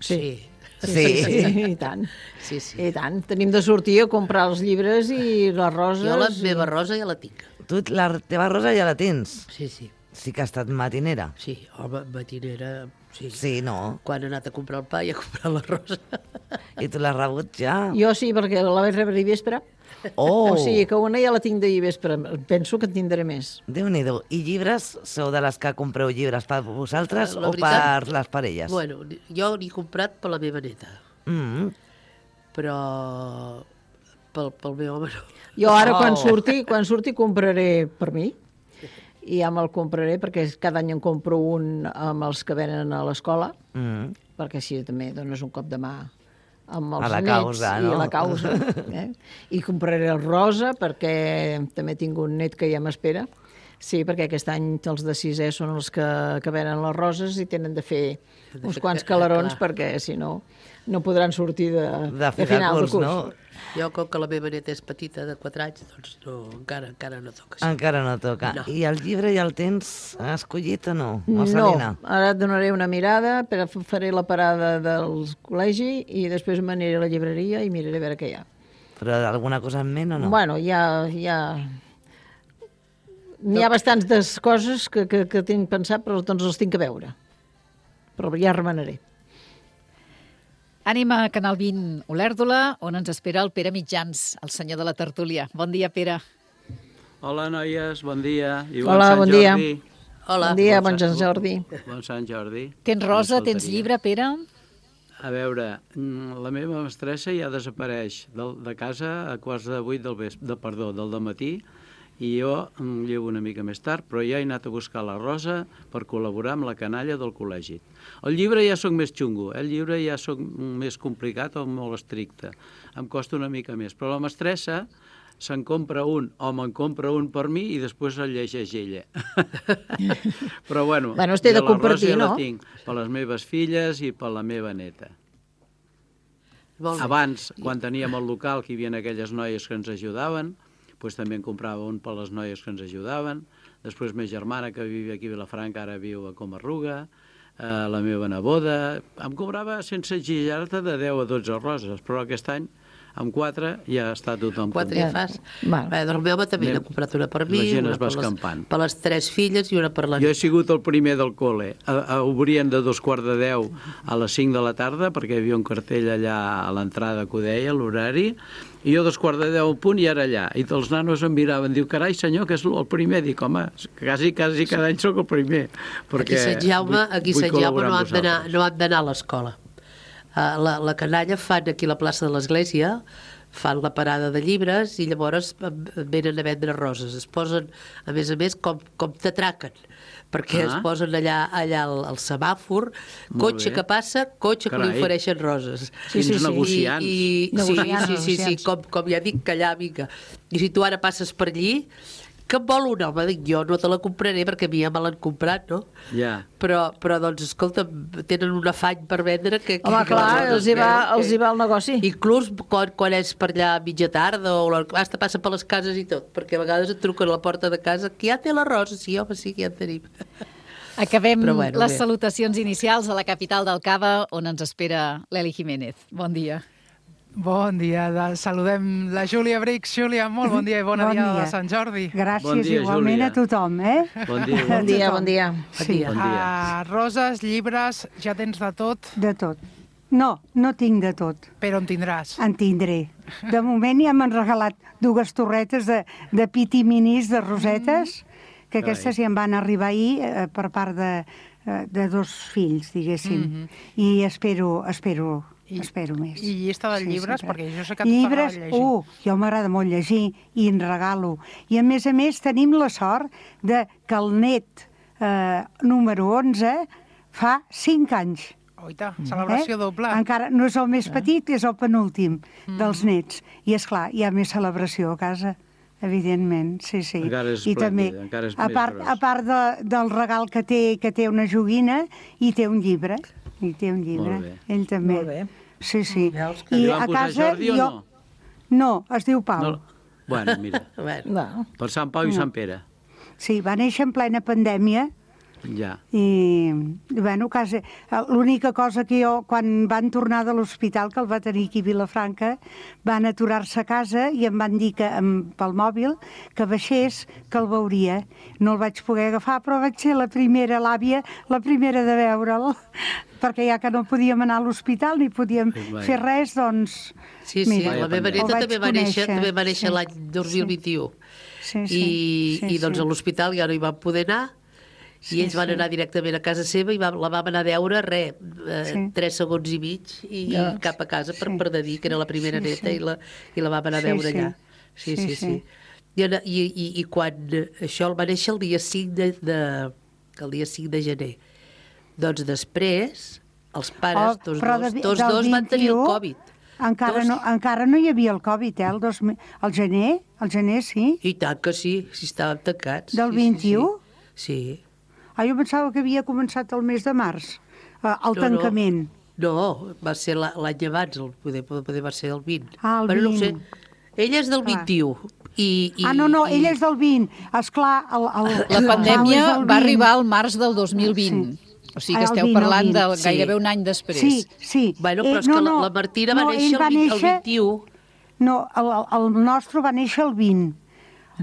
S11: Sí.
S10: Sí,
S11: sí, sí, sí, i tant.
S10: Sí, sí.
S11: I tant. Tenim de sortir a comprar els llibres i les roses.
S12: Jo la meva rosa ja la tinc.
S10: Tu la teva rosa ja la tens?
S12: Sí, sí.
S10: Sí que ha estat matinera?
S12: Sí, home, matinera, sí.
S10: Sí, no?
S12: Quan he anat a comprar el pa i a comprar la rosa.
S10: I tu l'has rebut ja?
S11: Jo sí, perquè la vaig rebre ahir vespre.
S10: Oh!
S11: O sigui que una ja la tinc d'ahir vespre. Penso que en tindré més.
S10: Déu-n'hi-do. I llibres? Sou de les que compreu llibres per vosaltres
S12: La
S10: o
S12: veritat,
S10: per les parelles?
S12: Bueno, jo n'he comprat per la meva neta.
S10: Mm.
S12: Però pel, pel meu home no.
S11: Jo ara,
S10: Oh.
S11: quan surti, quan surti compraré per mi. I ja me'l compraré, perquè cada any en compro un amb els que venen a l'escola,
S10: Mm.
S11: perquè així també dones un cop de mà amb els
S10: A la
S11: nets
S10: causa,
S11: i
S10: no?
S11: a la causa. Eh? I compraré el rosa, perquè també tinc un net que ja m'espera. Sí, perquè aquest any els de sisè són els que, que venen les roses i tenen de fer
S12: De
S11: uns
S12: fer-
S11: quants calarons,
S12: clar.
S11: perquè si no, no podran sortir de,
S10: De
S11: de final de curs.
S10: no?
S12: Jo, com que la meva neta és petita, de quatre anys, doncs no, encara, encara no toca. Sí.
S10: Encara no toca.
S12: No.
S10: I el llibre ja el tens escollit o no? O
S11: No,
S10: Salina?
S11: ara et donaré una mirada, però faré la parada del col·legi i després m'aniré a la llibreria i miraré a veure què hi ha.
S10: Però alguna cosa en ment o no?
S11: Bueno, hi ha... Hi ha... N'hi ha bastants de coses que, que, que tinc pensat, però doncs els tinc a veure. Però ja remenaré.
S3: Anem a Canal vint Olèrdola, on ens espera el Pere Mitjans, el senyor de la tertúlia. Bon dia, Pere.
S13: Hola, noies, bon dia. I
S11: Hola,
S13: Sant
S11: bon dia.
S13: Jordi.
S11: Hola. Bon dia, bon Sant Jordi.
S13: Bon Sant Jordi.
S3: Tens rosa,
S13: Només
S3: tens
S13: faltaria.
S3: llibre, Pere?
S13: A veure, mm, la meva mestressa ja desapareix de, de casa a quarts de vuit del vespre, de, perdó, del dematí, i jo em llevo una mica més tard, però ja he anat a buscar la rosa per col·laborar amb la canalla del col·legi. El llibre ja sóc més xungo, eh? El llibre ja sóc més complicat o molt estricte. Em costa una mica més, però la mestressa se'n compra un, o me'n compra un per mi i després el llegeix ella. Però bueno,
S11: Bueno, es té de
S13: jo la
S11: compartir,
S13: rosa ja
S11: no?
S13: la tinc per les meves filles i per la meva neta.
S12: Molt bé.
S13: Abans, quan teníem el local, que hi havia aquelles noies que ens ajudaven, doncs també en comprava un per les noies que ens ajudaven. Després, ma germana, que vivia aquí a Vilafranca, ara viu a Comarruga, eh, la meva neboda. Em cobrava, sense exagerar-te, de deu a dotze roses, però aquest any, amb quatre, ja està tothom
S12: Quatre ja fas.
S11: Val.
S12: Bé, doncs el meu home també
S13: Meu,
S12: n'ha comprat una per mi,
S13: la gent
S12: una
S13: es va
S12: per les,
S13: escampant.
S12: per les tres filles i una per la
S13: Jo he
S12: neta.
S13: sigut el primer del col·le. A, a, obrien de dos quarts de deu a les cinc de la tarda, perquè hi havia un cartell allà a l'entrada que ho deia, l'horari, i jo dos quarts de deu al punt i era allà. I els nanos em miraven, diu, carai senyor, que és el primer. Dic, home, quasi, quasi cada any sóc el primer.
S12: Aquí a Sant Jaume, aquí a Sant Jaume no han d'anar no han d'anar a l'escola. Uh, la, la canalla fan aquí a la plaça de l'Església, fan la parada de llibres i llavors venen a vendre roses. Es posen, a més a més, com, com t'atraquen, perquè
S13: Ah.
S12: es posen allà, allà al, al semàfor,
S13: Molt
S12: cotxe
S13: bé.
S12: que passa, cotxe que
S13: Carai.
S12: li ofereixen roses.
S13: Quins negociants.
S12: I, i, sí,
S11: Negociants,
S12: sí, sí, sí,
S11: negociants.
S12: com, com ja dic, que allà, vinga. I si tu ara passes per allí, que em vol un home? Dic, jo no te la compraré perquè a mi ja me l'han comprat, no?
S13: Ja.
S12: Però, però doncs, escolta, tenen un afany per vendre que... que
S11: Home,
S12: que
S11: clar,
S12: les
S11: els hi va,
S12: que-
S11: els hi va el negoci.
S12: Inclús quan, quan és per allà a mitja tarda o la- hasta passa per les cases i tot, perquè a vegades et truquen a la porta de casa que ja té la rosa, sí, home, sí, que ja en tenim.
S3: Acabem
S12: Però bueno,
S3: les
S12: bé.
S3: salutacions inicials a la capital del Cava, on ens espera l'Eli Jiménez. Bon dia.
S4: Bon dia, de, saludem la Júlia Brix. Júlia, molt bon dia i bona
S14: Bon
S4: diada
S14: dia.
S4: de Sant Jordi.
S14: Gràcies
S13: Bon dia,
S14: igualment
S13: Júlia.
S14: a tothom, eh?
S13: Bon dia.
S11: Bon dia, bon dia.
S14: Sí.
S13: Bon dia.
S4: Uh, roses, llibres, ja tens de tot,
S14: De tot. No, no tinc de tot.
S4: però en tindràs.
S14: En tindré. De moment ja m'han regalat dues torretes de, de piti minis de rosetes, que
S13: Carai.
S14: aquestes ja em van arribar ahir eh, per part de, eh, de dos fills, diguéssim. I espero, espero,
S4: I-
S14: espero més.
S4: I llista de llibres,
S14: sempre.
S4: perquè jo sé que a tu
S14: Llibres,
S4: t'agrada llegir.
S14: uh, jo m'agrada molt llegir i en regalo. I a més a més tenim la sort de que el net eh, número onze fa cinc anys.
S4: Oita, celebració doble.
S14: Encara no és el més petit, és el penúltim dels nets. I, és clar, hi ha més celebració a casa, evidentment, sí, sí.
S13: Encara és
S14: I també,
S13: esplèndid, encara és
S14: a
S13: més
S14: part,
S13: gros.
S14: a part de, del regal que té, que té una joguina, i té un llibre. I té un llibre.
S13: Molt bé.
S14: Ell també.
S11: Molt bé.
S14: Sí, sí.
S12: Veus que
S14: I
S13: Li van
S14: a
S13: posar
S14: casa
S13: Jordi o
S14: jo...
S13: no?
S14: No, es diu Pau.
S13: No. Bueno, mira,
S12: Bueno,
S11: No.
S13: per Sant Pau i Sant Pere.
S14: Sí, va néixer en plena pandèmia,
S13: Ja.
S14: I, bueno, quasi, l'única cosa que jo, quan van tornar de l'hospital, que el va tenir aquí a Vilafranca, van aturar-se a casa i em van dir que, amb, pel mòbil que baixés, que el veuria. No el vaig poder agafar, però vaig ser la primera, l'àvia, la primera de veure'l, perquè ja que no podíem anar a l'hospital ni podíem
S12: Vai.
S14: fer res, doncs...
S12: Sí, sí,
S14: mira,
S12: la meva neta també va néixer, també va néixer
S14: sí,
S12: l'any dos mil vint-i-u.
S14: Sí, sí,
S12: I,
S14: sí,
S12: i doncs
S14: sí.
S12: a l'hospital ja no hi van poder anar,
S14: Sí,
S12: i ells van
S14: sí.
S12: anar directament a casa seva i va, la vam anar a veure, res, eh,
S14: Sí.
S12: tres segons i mig, i
S14: Ja.
S12: cap a casa per, per de dir que era la primera
S14: Sí,
S12: neta
S14: sí.
S12: i, la, i la vam anar a
S14: Sí,
S12: veure
S14: sí.
S12: allà. Sí, sí,
S14: Sí,
S12: sí.
S14: sí.
S12: I, i, i, I quan això el va néixer el dia cinc de, de, el dia cinc de gener. Doncs després, els pares,
S14: Oh,
S12: tots
S14: però
S12: dos,
S14: de-
S12: tots
S14: del
S12: dos van tenir el
S14: vint-i-u
S12: Covid.
S14: Encara
S12: Dos.
S14: no, encara no hi havia el Covid, eh? El, dos, mil- el gener, el gener sí.
S12: I tant que sí, si estàvem tancats.
S14: Del
S12: sí,
S14: vint-i-u?
S12: Sí, sí.
S14: Ah, jo pensava que havia començat el mes de març, eh, el
S12: No,
S14: tancament.
S12: No, no va ser la- l'any abans, el, poder, poder va ser el vint.
S14: Ah, el
S12: Però no ho
S14: vint.
S12: sé. Ella és del vint-i-u. I, i,
S14: Ah, no, no,
S12: i...
S14: ell és del vint. Esclar, el, el,
S3: La pandèmia
S14: és del
S3: va
S14: vint.
S3: arribar al març del dos mil vint. O sigui que
S14: Ah, el
S3: esteu
S14: vint, el
S3: parlant
S14: vint.
S3: de
S12: Sí.
S3: gairebé un any després.
S14: Sí, sí.
S12: Bueno, però
S14: Eh,
S12: és que
S14: no,
S12: la,
S14: no,
S12: la Martina va
S14: no,
S12: néixer
S14: ell va
S12: el, vint,
S14: néixer-
S12: el vint-i-u.
S14: No, el, el nostre va néixer el vint.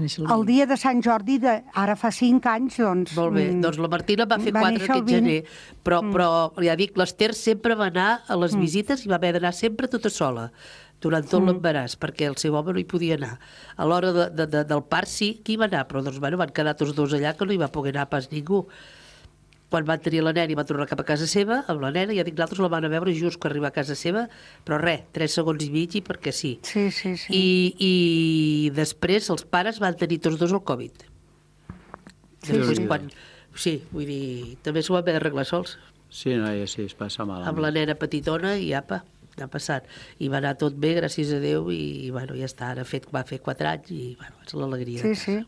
S14: El dia de Sant Jordi, de, ara fa cinc anys, doncs...
S12: Molt bé,
S14: mm,
S12: doncs la Martina va fer
S14: va
S12: quatre
S14: néixer el
S12: aquest
S14: vint.
S12: gener, però,
S14: Mm.
S12: però ja dic, l'Ester sempre va anar a les visites i va haver d'anar sempre tota sola, durant tot
S14: Mm.
S12: l'embaràs, perquè el seu home no hi podia anar. A l'hora de, de, de, del part sí que hi va anar, però doncs, bueno, van quedar tots dos allà que no hi va poder anar pas ningú. Quan van tenir la nena i va tornar cap a casa seva, amb la nena, ja dic, nosaltres la van a veure just que arriba a casa seva, però res, tres segons i mig i perquè sí.
S14: Sí, sí, sí.
S12: I, I després els pares van tenir tots dos el Covid.
S14: Sí,
S12: Després,
S14: sí.
S12: quan... Sí, vull dir, també s'ho van haver d'arreglar sols.
S13: Sí, noia, sí, es passa malament.
S12: Amb la nena petitona i apa, ha passat. I va anar tot bé, gràcies a Déu, i, i bueno, ja està, ara fet, va fer quatre anys i bueno, és l'alegria.
S14: Sí, sí.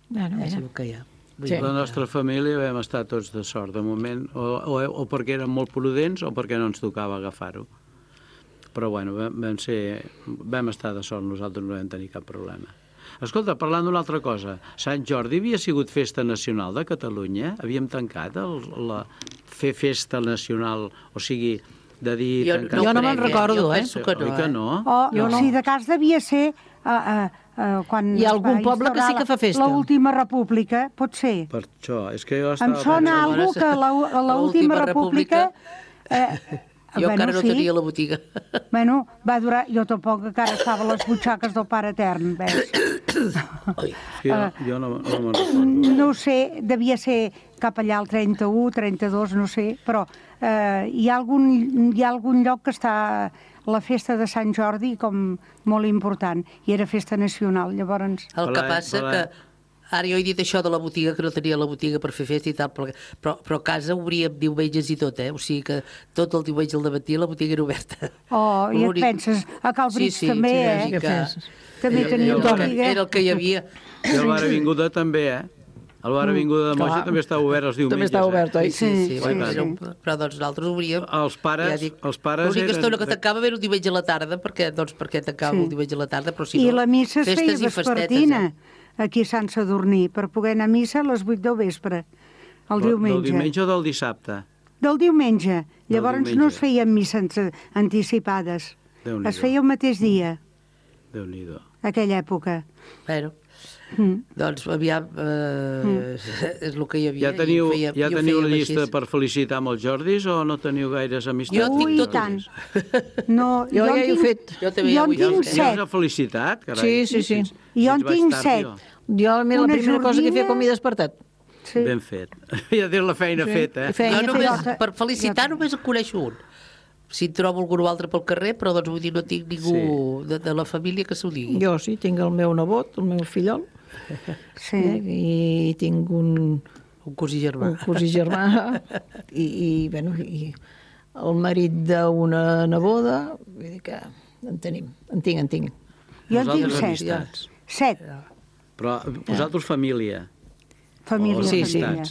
S11: Bueno,
S12: És
S11: mira.
S12: el que hi ha. Vull
S13: Sí.
S12: dir
S13: La
S12: que-
S13: nostra família vam estar tots de sort, de moment, o, o, o perquè érem molt prudents o perquè no ens tocava agafar-ho. Però bueno, vam, vam, ser, vam estar de sort, nosaltres no vam tenir cap problema. Escolta, parlant d'una altra cosa, Sant Jordi havia sigut festa nacional de Catalunya? Havíem tancat el, la, fer festa nacional, o sigui, de dir...
S12: Jo-
S13: tancar-
S12: jo no me'n recordo, eh?
S13: Sí,
S12: Que no,
S13: oi que
S12: eh?
S13: no?
S14: O,
S11: Jo no.
S14: si de cas devia ser uh, uh, uh, quan
S11: Hi ha
S14: es
S11: algun
S14: va
S11: poble que sí
S14: instaurar
S11: que fa festa.
S14: l'última república, pot ser.
S13: Per això, és que jo
S14: Em
S13: estava...
S14: sona
S13: pensant-
S14: algú que la- a l'última
S12: L'última
S14: república...
S12: república,
S14: Eh,
S12: Jo
S14: bueno,
S12: encara no
S14: sí.
S12: tenia la botiga.
S14: Bueno, va durar... Jo tampoc encara estava a les butxaques del Pare Etern, veus?
S13: Sí, jo, jo no, no me'n recordo.
S14: No ho sé, devia ser cap allà al trenta-u, trenta-dos, no sé, però eh, hi, ha algun, hi ha algun lloc que està la festa de Sant Jordi com molt important, i era festa nacional, llavors...
S12: El que
S13: Hola,
S12: passa
S13: hola.
S12: que... Ara jo he dit això de la botiga, que no tenia la botiga per fer festa i tal, però, però, però a casa obríem diumenges i tot, eh? O sigui que tot el diumenge al matí la botiga era oberta.
S14: Oh, i et
S12: L'únic-
S14: penses, a Calbrits
S12: sí, sí,
S14: també,
S12: sí,
S14: eh?
S12: sí, que...
S14: També
S13: I-
S14: tenia
S13: i el-
S14: botiga.
S12: Era el que hi havia.
S13: I el bar Avinguda també, eh? El bar Avinguda de Moja
S11: Clar.
S13: també està obert els diumenges.
S11: També està obert, oi?
S12: Sí, sí,
S14: Sí,
S12: sí,
S14: sí,
S12: bueno,
S14: sí.
S12: era un... però doncs nosaltres obríem...
S13: Els pares,
S12: ja dic,
S13: els pares
S12: l'única
S13: eren...
S12: estona que tancava era el diumenge a la tarda, perquè, doncs, perquè tancava
S14: Sí.
S12: el diumenge a la tarda, però si
S14: I
S12: no...
S14: la missa es feia
S12: festes i festetes,
S14: vespertina,
S12: eh?
S14: aquí a Sant Sadurní, per poder anar a missa a les vuit del vespre, el
S13: Del
S14: diumenge.
S13: diumenge o del dissabte?
S14: Del diumenge. Llavors
S13: diumenge.
S14: no es feien misses anticipades.
S13: Déu-n'hi-do.
S14: Es feia el mateix dia,
S13: Déu-n'hi-do.
S14: aquella època.
S12: Bueno,
S14: Mm.
S12: doncs aviam, eh, és el que hi havia.
S13: Ja teniu,
S12: i ho fèiem-
S13: ja
S12: i ho
S13: teniu
S12: fèiem
S13: llista
S12: així.
S13: per felicitar amb els Jordis o no teniu gaires amistats?
S12: Jo tinc
S14: Ui,
S12: tot.
S14: tant. No,
S11: Jo ja
S14: en
S11: hi he
S14: tinc-
S11: fet.
S12: Jo també
S14: jo
S12: ja ho
S14: en
S12: he
S14: tinc
S12: fet.
S13: Ja us
S14: set.
S13: ha felicitat, carai.
S11: Sí, sí, sí.
S14: Jo
S13: Si
S14: en
S13: ets
S14: tinc
S13: bastant,
S14: set.
S13: jo.
S11: Jo, mira, la
S14: Una
S11: primera cosa que
S14: jordina.
S11: feia quan m'he despertat.
S14: Sí.
S13: Ben fet. Ja tens la feina
S11: Sí.
S13: feta, eh?
S11: Feina
S12: Jo
S11: feta.
S12: només,
S14: feta.
S12: per felicitar
S14: Jo-
S12: només en coneixo un. Si en trobo algú altre pel carrer, però doncs vull dir, no tinc ningú de, de la família que s'ho digui.
S11: Jo sí, tinc el meu nebot, el meu fillol,
S14: Sí.
S11: eh, i tinc un,
S12: Un cosí germà.
S11: un cosí germà, i, i, bueno, i el marit d'una neboda, vull dir que en tenim, en tinc, en tinc.
S14: Jo en tinc
S13: Vosaltres
S14: set.
S13: amistats.
S14: Set.
S13: Però vosaltres família.
S14: Família,
S13: O
S11: Sí, sí.
S14: família.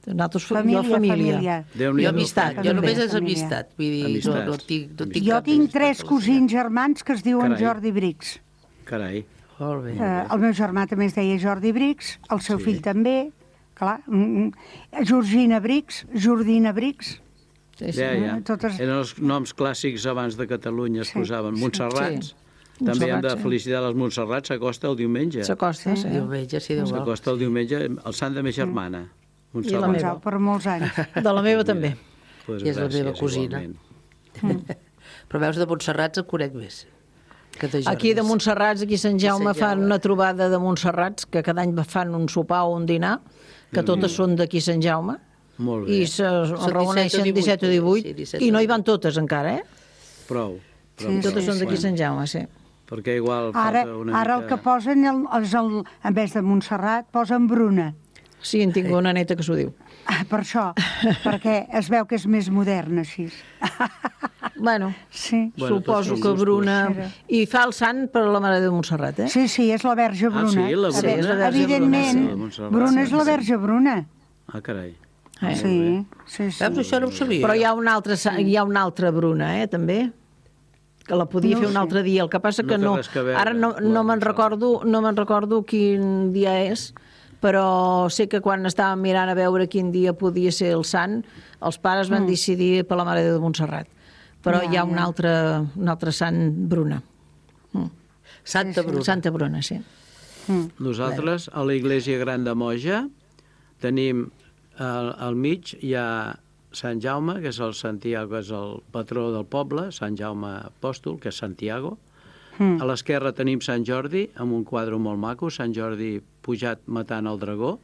S11: Nosaltres,
S14: Família,
S11: jo família.
S14: família.
S13: Déu-n'hi-do.
S12: Jo amistat, jo
S14: També,
S12: només és
S14: família.
S12: amistat. Vull dir, no,
S13: Amistats.
S12: no tinc, no tinc
S14: Jo
S12: cap
S14: tinc
S12: amistat
S14: tres
S12: a la
S14: cosins germans que es diuen
S13: Carai.
S14: Jordi Brix.
S13: Carai.
S12: ciutat. Molt bé.
S14: Eh, el meu germà també es deia Jordi Brix, el seu
S13: Sí.
S14: fill també, clar. Georgina Brix, Jordina Brix.
S13: Sí, sí. Ja, ja. Totes... Eren els noms clàssics abans de Catalunya, es sí, posaven. Sí. Montserrats. Sí. També hem de felicitar les Montserrats, s'acosta el diumenge.
S11: S'acosta, sí.
S12: Diumenge, sí, Déu vol.
S13: S'acosta el diumenge, el sant de ma germana.
S14: I la meva. Per molts anys.
S11: De la meva també.
S12: Pues I és gràcies, la meva cosina. Mm. Però veus, de Montserrats en conec més.
S11: Aquí de Montserrats, aquí a Sant Jaume, fan una trobada de Montserrats, que cada any fan un sopar o un dinar, que totes són d'aquí a Sant Jaume.
S13: Molt bé.
S11: I se reuneixen disset o divuit, i no hi van totes encara, eh?
S13: Prou.
S11: Sí, totes són d'aquí a Sant Jaume, sí.
S13: Perquè igual
S14: ara,
S13: falta una
S14: ara
S13: mica...
S14: el que posen, el, és el, en vez de Montserrat, posen Bruna.
S11: Sí, en tinc una neta que s'ho diu.
S14: Per això, perquè es veu que és més modern, així.
S11: Bueno,
S14: sí.
S11: Bueno, suposo que Bruna... I fa el sant per la Mare de Montserrat, eh?
S14: Sí, sí, és la Verge Bruna.
S13: Ah, sí, la Bruna?
S14: Sí, la evidentment, Bruna, sí. Bruna és la Verge Bruna.
S13: Ah, carai.
S14: Eh? Sí, sí, sí.
S12: Veus, això no ho sabia.
S11: Però hi ha una altra, hi ha una altra Bruna, eh, també, que la podia no fer un sé. altre dia. El que passa que no...
S13: Que veure,
S11: ara no, no me'n recordo, no me'n recordo quin dia és, però sé que quan estàvem mirant a veure quin dia podia ser el sant, els pares van mm. decidir per la Mare de Montserrat. Però ja, hi ha un altre, un altre sant Bruna. Mm.
S12: Santa Bruna.
S11: Santa Bruna, sí.
S13: Mm. Nosaltres, a la Iglésia Gran de Moja, tenim al, al mig hi ha Sant Jaume, que és el Santiago, que és el patró del poble, Sant Jaume Apòstol, que és Santiago. Mm. A l'esquerra tenim Sant Jordi, amb un quadre molt maco, Sant Jordi pujat matant el dragó,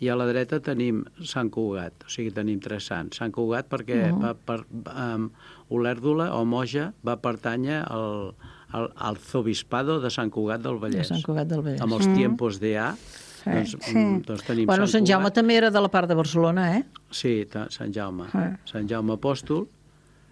S13: i a la dreta tenim Sant Cugat, o sigui, tenim tres sants. Sant Cugat perquè uh -huh. va per, um, Olèrdola o Moja va pertànyer al, al, al arzobispado de Sant Cugat del Vallès.
S11: De Sant Cugat del Vallès.
S13: Amb els mm. tiempos de A, sí. doncs, sí. doncs tenim
S11: bueno,
S13: Sant
S11: Sant Jaume també era de la part de Barcelona, eh?
S13: Sí, Sant Jaume.
S11: Sí.
S13: Sant Jaume Apòstol,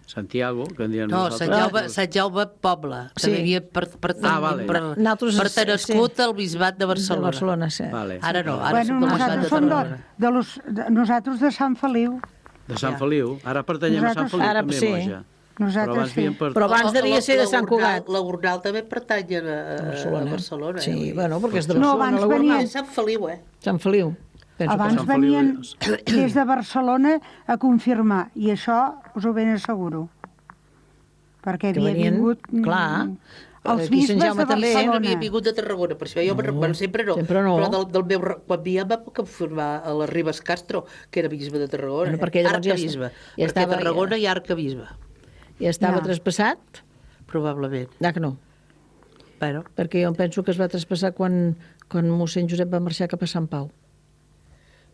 S13: Santiago, que en diem
S12: no,
S13: nosaltres.
S12: Sant Jaume, Sant Jaume Poble.
S11: Sí.
S12: També havia per, per,
S13: ah, vale.
S12: per, per tenescut sí. al bisbat de Barcelona.
S11: De Barcelona, sí.
S12: Vale. Ara no, ara
S14: bueno,
S12: som
S14: nosaltres som de, de, los, de, nosaltres de Sant Feliu.
S13: De Sant ja. Feliu. Ara pertanyem nosaltres, a Sant Feliu,
S11: ara,
S13: també,
S11: sí.
S13: Moja.
S14: Nosaltres
S13: però abans,
S14: sí.
S13: per...
S11: però abans devia ser de Sant Cugat.
S12: La Gornal també pertany a, a Barcelona. A Barcelona
S11: sí,
S12: eh?
S11: bueno, perquè és de Barcelona.
S14: No, abans venien...
S12: Sant Feliu, eh?
S11: Sant Feliu.
S14: Penso abans venien des de Barcelona a confirmar, i això us ho ben asseguro. Perquè havia
S11: venien,
S14: vingut...
S11: Clar,
S14: els bisbes de Barcelona.
S12: Sempre havia vingut de Tarragona, per això jo no, bueno, sempre no.
S11: Sempre no.
S12: Però del, del meu, quan havia va confirmar a la Ribes Castro, que era bisbe de Tarragona.
S11: Bueno, perquè
S12: arcabisbe. Ja, ja perquè Tarragona ja... hi ha arcabisbe.
S11: Ja estava ja. traspassat?
S12: Probablement.
S11: Ah, que no.
S12: Bueno.
S11: Perquè jo em penso que es va traspassar quan, quan mossèn Josep va marxar cap a Sant Pau.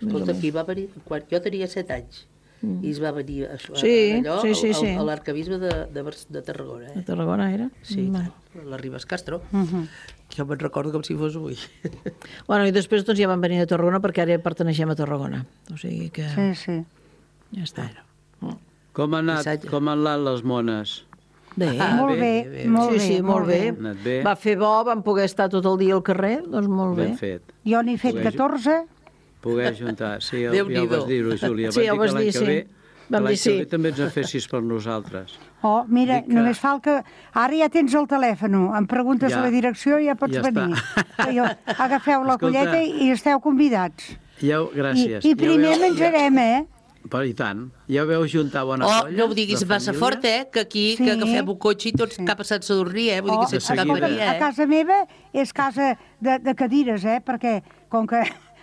S12: Escolta, aquí va venir, quan jo tenia set anys, mm. i es va venir a, a,
S11: sí,
S12: allò,
S11: sí, sí, sí.
S12: a l'arcabisbe de, de, de Tarragona. Eh?
S11: De Tarragona era?
S12: Sí, mm. la Ribes Castro. Uh -huh. Jo me'n recordo com si fos avui.
S11: Bueno, i després doncs, ja van venir a Tarragona perquè ara perteneixem a Tarragona. O sigui que...
S14: Sí, sí.
S11: Ja està.
S12: Bueno.
S13: Com, ha anat, com han anat les mones?
S11: Bé,
S14: ah, molt bé, bé, bé. Molt
S11: sí,
S14: bé,
S11: sí, molt bé.
S13: bé. bé.
S11: Va fer bo, vam poder estar tot el dia al carrer, doncs molt
S13: ben
S11: bé.
S13: Fet.
S14: Jo n'he fet
S13: Pogués...
S14: catorze.
S13: Poder juntar. Sí, ja ho vas dir-ho, Júlia.
S11: Sí, ja ho vas dir, sí.
S13: Ve,
S11: vam dir sí.
S13: Que ve també ens en fessis per nosaltres.
S14: Oh, mira,
S13: que...
S14: només fa el que... Ara ja tens el telèfon, em preguntes ja, la direcció i ja pots ja venir. Jo, agafeu la colleta i esteu convidats.
S13: Ja, gràcies.
S14: I, i primer ja veu, menjarem,
S13: ja...
S14: eh?
S13: Però i tant. Ja veu juntar bona
S12: oh,
S13: colla?
S12: No ho diguis massa fort, eh? Que aquí sí. que agafem un cotxe i tots sí. cap a Sant Sadurní, eh? Vull
S14: oh,
S12: dir que sense cap venia, eh?
S14: A casa meva és casa de, de cadires, eh? Perquè com que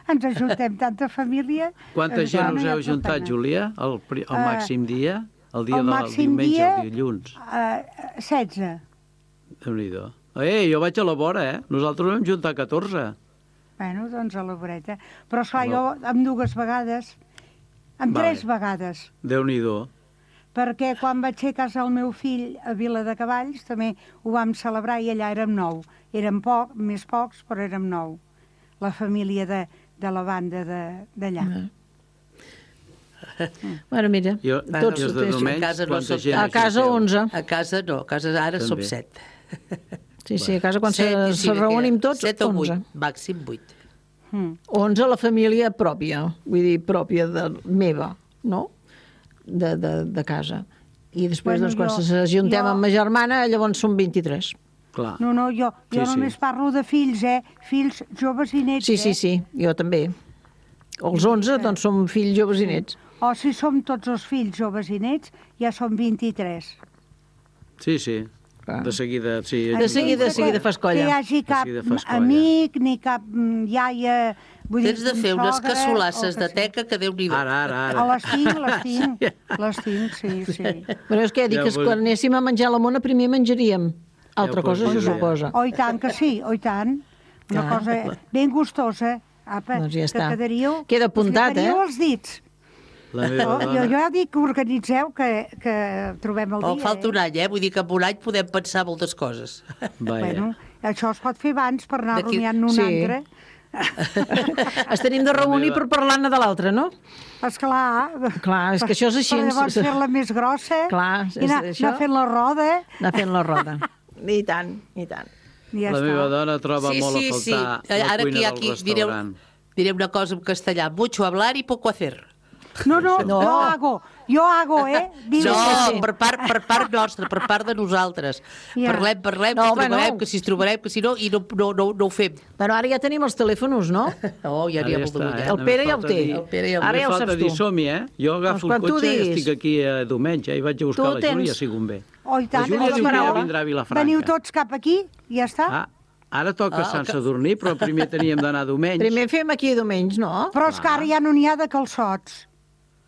S14: ens ajuntem tanta família...
S13: Quanta gent us heu juntat, Júlia? El, el màxim dia? El dia
S14: el
S13: del diumenge,
S14: dia,
S13: el dilluns?
S14: Uh, setze.
S13: Déu-n'hi-do. Eh, jo vaig a la vora, eh? Nosaltres vam juntar catorze.
S14: Bueno, doncs a la voreta. Però, esclar, jo amb dues vegades... Amb vale. tres vegades.
S13: Déu-n'hi-do.
S14: Perquè quan vaig ser a casa del meu fill a Vila de Cavalls també ho vam celebrar i allà érem nou. Érem poc, més pocs, però érem nou. La família de, de la banda d'allà. Mm.
S11: Mm. Bueno, mira,
S13: jo,
S11: tots
S13: jo de
S12: a casa no som
S11: a casa onze.
S12: A casa no, a casa ara també. Som set.
S11: Sí, sí, a casa quan set, se, se reunim tots,
S12: set o
S11: onze.
S12: vuit, màxim vuit.
S11: Mm. onze la família pròpia, vull dir, pròpia de meva, no? De, de, de casa. I després, bueno, doncs, quan jo, s'ajuntem jo... amb ma germana, llavors som vint-i-tres.
S13: Clar.
S14: No, no, jo, jo sí, només sí. parlo de fills, eh? Fills joves i nets,
S11: sí,
S14: eh?
S11: Sí, sí, jo també. O els onze, doncs som fills joves i nets.
S14: O si som tots els fills joves i nets, ja som vint-i-tres.
S13: Sí, sí. De seguida, sí.
S11: De seguida, de seguida fas colla.
S14: Que hi hagi cap amic, ni cap iaia...
S12: Tens de fer unes cassolasses de teca que Déu-n'hi-do.
S13: Ara, ara, ara.
S14: Les tinc, les tinc, les tinc, sí, sí.
S11: Però és que dic que quan anéssim a menjar a la mona primer menjaríem. Altra cosa se suposa.
S14: Oh, i tant que sí, oh, i tant. Una cosa ben gustosa. Apa,
S11: doncs ja està.
S14: Que quedaríeu...
S11: Queda apuntat, eh?
S14: Quedaríeu els dits.
S13: La meva dona...
S14: Jo, jo ja dic que organitzeu, que, que trobem el dia.
S12: Oh, falta un any, eh? Vull dir que en un any podem pensar moltes coses.
S14: Bueno, això es pot fer abans per anar rumiant un
S11: sí.
S14: altre.
S11: Es tenim de reunir per parlar-ne de l'altre, no?
S14: Esclar.
S11: Clar, és que això és així.
S14: Per llavors fer-la més grossa.
S11: Clar,
S14: i anar,
S11: això...
S14: anar fent la roda.
S11: Anar fent la roda. I tant, i tant.
S14: Ja
S13: la
S14: està.
S13: meva dona troba
S12: sí,
S13: molt
S12: sí,
S13: a faltar
S12: sí.
S13: la
S12: Ara
S13: cuina
S12: aquí,
S13: del
S12: aquí,
S13: restaurant.
S12: Direu, direu una cosa en castellà. Mucho hablar y poco hacer.
S14: No, no, no, jo hago, jo hago, eh?
S12: Dime no, per part, per part nostra, per part de nosaltres. Yeah. Parlem, parlem, no, que, trobarem, no. que si es trobarem, que si no, i no, no, no, no ho fem.
S11: Però ara ja tenim els telèfons, no?
S12: Oh, ja n'hi ha molt de
S13: eh?
S11: El Pere ja ho té.
S12: El Pere ja ho té.
S11: Ara ja ho saps tu.
S13: Dir som-hi, eh? Jo agafo el cotxe i estic aquí a diumenge i vaig a buscar la Júlia, si convé.
S14: Oh, i tant.
S13: La Júlia diu que ja vindrà a Vilafranca.
S14: Veniu tots cap aquí i ja està.
S13: Ah. Ara toca ah, Sant Sadurní, però primer teníem d'anar diumenge.
S11: Primer fem aquí diumenge, no?
S14: Però és que ara ja no n'hi ha de calçots.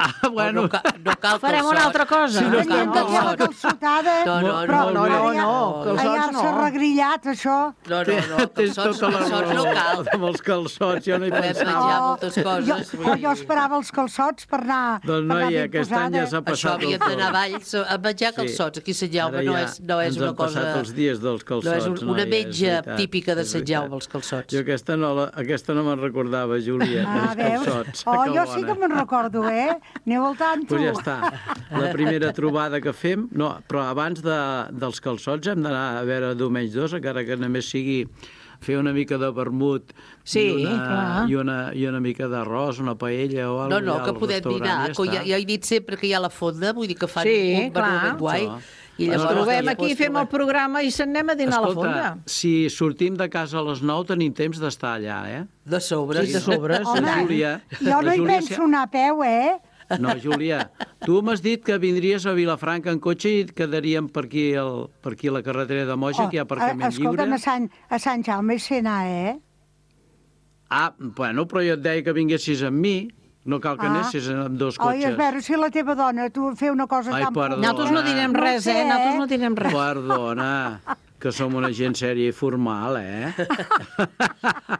S13: Ah, bueno.
S12: No, no, no cal
S11: farem una altra cosa.
S13: Si no,
S14: no cal calçotada.
S12: No, no,
S14: però,
S11: no, no, no, calçots
S14: allà
S11: no.
S14: s'ha regrillat, això.
S12: No, no, no, calçots, calçots no cal.
S13: Amb els calçots, jo no hi pensava.
S12: Podem menjar moltes coses.
S14: Jo, jo esperava els calçots per anar,
S13: doncs,
S14: per anar
S13: noi, ben
S14: aquest
S13: any ja s'ha passat.
S12: Això havia d'anar a Valls a menjar calçots. Aquí a Sant Jaume no és, no és una cosa...
S13: Ens han passat els dies dels calçots.
S12: No és una menja típica de Sant Jaume, els calçots.
S13: Jo aquesta no, aquesta no me'n recordava, Júlia, els calçots.
S14: Oh, jo sí que me'n recordo, eh? Aneu al tant.
S13: Pues ja està. La primera trobada que fem... No, però abans de, dels calçots hem d'anar a veure diumenge dos, encara que només sigui fer una mica de vermut
S11: sí,
S13: i, una,
S11: clar.
S13: i, una, i una mica d'arròs, una paella o alguna cosa.
S12: No, no, que podem dinar. Ja, ja, ja he dit sempre que hi ha la fonda, vull dir que fan
S11: sí,
S12: un menú ben guai.
S11: I ens trobem aquí, fem el programa i se'n anem a dinar
S13: Escolta,
S11: a la fonda.
S13: Si sortim de casa a les nou tenim temps d'estar allà, eh?
S12: De sobres.
S11: Sí, de sobres.
S14: Home,
S13: Júlia,
S14: jo no hi
S13: Júlia,
S14: penso anar a peu, eh?
S13: No, Júlia, tu m'has dit que vindries a Vilafranca en cotxe i et quedaríem per aquí, el, per aquí a la carretera de Moja, oh, que hi ha aparcament lliure.
S14: Escolta'm, a Sant, a Sant Jaume sé anar, eh?
S13: Ah, bueno, però jo et deia que vinguessis amb mi. No cal que ah. anessis amb dos cotxes.
S14: Oi, a veure, si la teva dona tu fer una cosa
S13: Ai,
S14: tan...
S13: perdona.
S11: Nosaltres no direm res, eh? Nosaltres no direm res.
S13: Perdona, que som una gent sèria i formal, eh?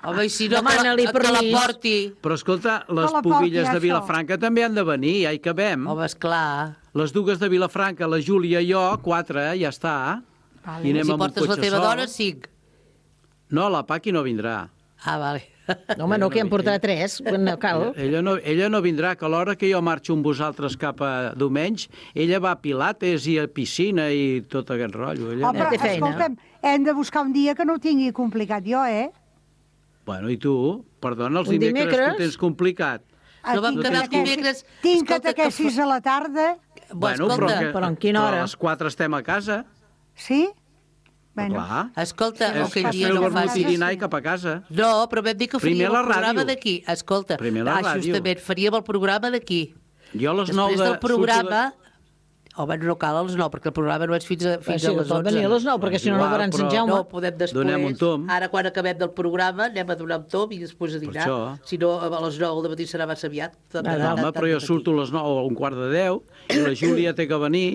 S12: Home, i si no, que, que la porti.
S13: Però escolta, les pubilles de Vilafranca també han de venir, ja hi cabem.
S12: Home, esclar.
S13: Les dues de Vilafranca, la Júlia i jo, quatre, ja està.
S14: Vale.
S13: I anem
S12: si
S13: amb un
S12: portes
S13: cotxe
S12: la teva
S13: sol.
S12: dona, cinc.
S13: No, la Paqui no vindrà.
S12: Ah, vale.
S11: No, home, no, que em portarà tres, no cal.
S13: Ella no, ella no vindrà, que a l'hora que jo marxo amb vosaltres cap a diumenge, ella va a pilates i a piscina i tot aquest rotllo. Ella
S14: oh, però, escolta'm, hem de buscar un dia que no ho tingui complicat jo, eh?
S13: Bueno, i tu? Perdona, els
S11: un
S13: dimecres,
S11: dimecres
S13: tu tens complicat.
S12: No vam quedar els dimecres...
S14: Tinc catequesis a la tarda.
S13: Bueno, però, que,
S11: però en quina hora?
S13: Però a les quatre estem a casa.
S14: Sí? Bueno.
S13: Clar.
S12: Escolta,
S13: és
S12: aquell dia
S13: no
S12: no
S13: facis...
S12: facis...
S13: I dinar i cap a casa.
S12: No, però vam dir que faríem el programa d'aquí. Escolta,
S13: la
S12: ah, justament, faríem el programa d'aquí.
S13: Jo a les nou
S12: de... Després del programa... De... Home, no cal a les nou, perquè el programa no és fins a, fins
S11: sí,
S12: a les onze.
S11: venir a les nou, perquè si no no veuran Sant Jaume.
S12: No, podem després...
S13: Donem un tom.
S12: Ara, quan acabem del programa, anem a donar un tom i després a dinar. Si no, a les nou del matí serà massa aviat.
S13: Ah, home, però jo surto a les nou o a un quart de deu i la Júlia té que venir.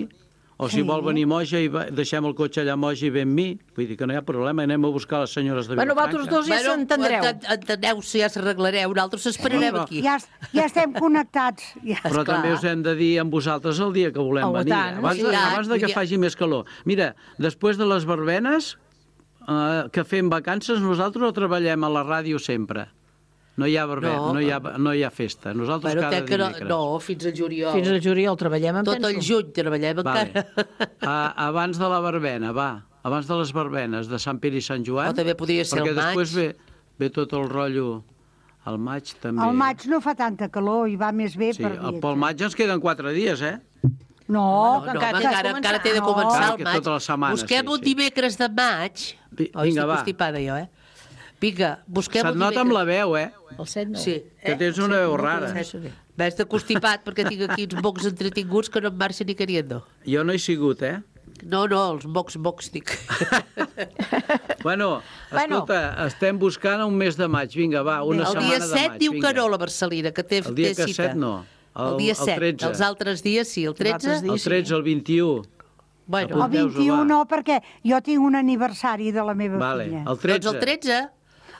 S13: O si sí. vol venir Moja i va, deixem el cotxe allà a Moja i ve amb mi. Vull dir que no hi ha problema, anem a buscar les senyores de Vilafranca.
S11: Bueno, vosaltres dos ja
S12: bueno,
S11: s'entendreu.
S12: Enteneu, si ja s'arreglareu, nosaltres esperarem sí, aquí.
S14: Ja, ja estem connectats. Ja.
S13: Però esclar. També us hem de dir amb vosaltres el dia que volem oh, venir.
S11: Tant,
S13: abans,
S11: sí,
S13: de, abans de que ja. faci més calor. Mira, després de les verbenes, eh, que fem vacances, nosaltres o treballem a la ràdio sempre. No hi ha verbena, no, no, hi, ha, no hi ha festa. Nosaltres bueno, cada dimecres.
S12: No, no, fins al juliol.
S11: Fins al juliol treballem, em
S12: Tot
S11: penso.
S12: el juny treballem
S13: vale.
S12: encara.
S13: A, abans de la verbena, va. Abans de les verbenes de Sant Pere i Sant Joan.
S12: O també podria ser
S13: el maig. Perquè després ve, ve tot el rotllo... Al maig també...
S14: Al maig no fa tanta calor i va més bé
S13: sí,
S14: per dir.
S13: Pel maig ens queden quatre dies, eh?
S14: No,
S12: no, no encara, encara, encara té de començar no. el maig.
S13: Tota la setmana,
S12: busquem
S13: sí,
S12: un dimecres de maig.
S13: Sí. Vinga, va.
S12: Estic constipada jo, eh? Vinga, busquem...
S13: Se't nota amb la veu, eh?
S11: El set no.
S12: Sí.
S13: Que
S12: eh?
S13: tens una veu rara.
S12: Ves de constipat perquè tinc aquí uns mocs entretinguts que no em marxen ni queriendo.
S13: Jo no he sigut, eh?
S12: No, no, els mocs, mocs dic.
S13: Bueno, escolta, estem buscant un mes de maig. Vinga, va, una
S12: el
S13: setmana de maig.
S12: El dia set diu que no, la Marcelina, que té,
S13: el dia
S12: té
S13: que
S12: cita.
S13: set no. El,
S12: el dia set,
S13: el tretze.
S12: Els altres dies sí. El tretze?
S13: El tretze, el vint-i-u.
S14: Bueno. El vint-i-u no, perquè jo tinc un aniversari de la meva
S13: vale.
S14: filla.
S13: El tretze.
S12: Doncs el tretze.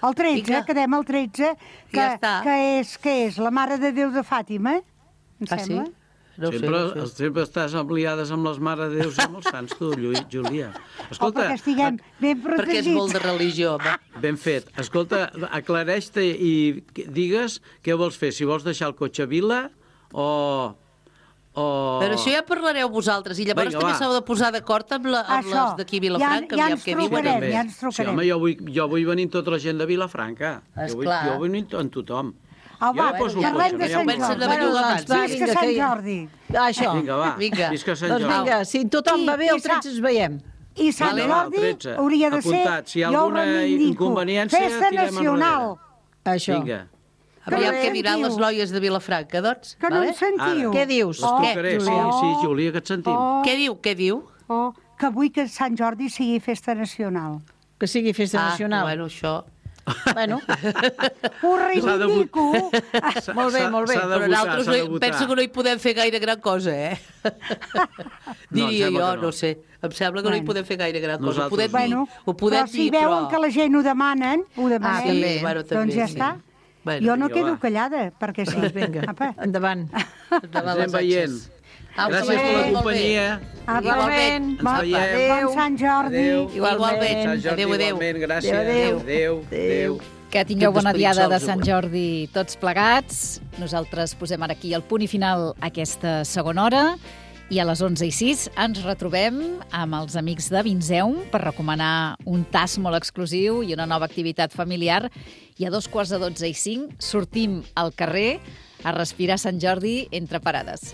S14: El tretze, Vinga. Quedem el tretze, que,
S12: ja està.
S14: que, és, que és la Mare de Déu de Fàtima, em
S12: ah,
S14: sembla?
S12: Sí? No
S13: sempre,
S12: sé, no sé.
S13: sempre estàs ampliades amb les Mare de Déus i amb els sants, tu, Júlia.
S14: Escolta, o perquè estiguem ben protegits.
S12: Perquè és molt de religió, home.
S13: Ben fet. Escolta, aclareix-te i digues què vols fer. Si vols deixar el cotxe a Vila o... o...
S12: Però això ja parlareu vosaltres, i llavors Vinga, també s'heu de posar d'acord amb, la, amb les d'aquí a Vilafranca.
S14: Ja, ja ens trucarem, ja ens trucarem.
S13: Sí, home, jo vull, jo vull venir amb tota la gent de Vilafranca. Jo vull, jo vull venir amb tothom.
S14: Oh, va,
S13: jo
S14: ja parlem de Sant Jordi.
S11: Bueno, doncs, va,
S14: Visca Sant Jordi.
S11: Això.
S13: Vinga, va,
S12: vinga.
S13: Visca Sant
S11: Jordi. Doncs vinga, si tothom va bé, el tretze ens veiem.
S14: I Sant Jordi hauria de ser,
S13: si hi ha alguna inconveniència,
S14: festa nacional.
S11: Això.
S13: Vinga.
S12: Aviam què diran les noies de Vilafranca, doncs.
S14: Que no em sentiu.
S11: Què dius?
S13: L'explicaré, sí, sí, Júlia, que et sentim.
S12: Què diu, què diu?
S14: Que vull que Sant Jordi sigui festa nacional.
S11: Que sigui festa nacional.
S12: Ah, bueno, això...
S11: Bueno.
S14: Ho reivindico.
S11: Molt bé, molt bé.
S12: Però nosaltres penso que no hi podem fer gaire gran cosa, eh? Diria jo, no sé. Em sembla que no hi podem fer gaire gran cosa. Ho podem dir, ho podem
S14: dir, però... si veuen que la gent ho demanen, ho demanem, doncs ja està. Jo no quedo callada, perquè sí.
S11: Vinga, endavant.
S13: Ens anem veient. Gràcies per la companyia.
S14: Igualment. Bon Sant Jordi.
S12: Igualment. Adéu, adéu.
S13: Gràcies. Adéu, adéu, adéu.
S3: Que tingueu bona diada de Sant Jordi tots plegats. Nosaltres posem ara aquí el punt i final a aquesta segona hora. I a les onze i sis ens retrobem amb els amics de Vinzeum per recomanar un tast molt exclusiu i una nova activitat familiar. I a dos quarts de dotze i cinc sortim al carrer a respirar Sant Jordi entre parades.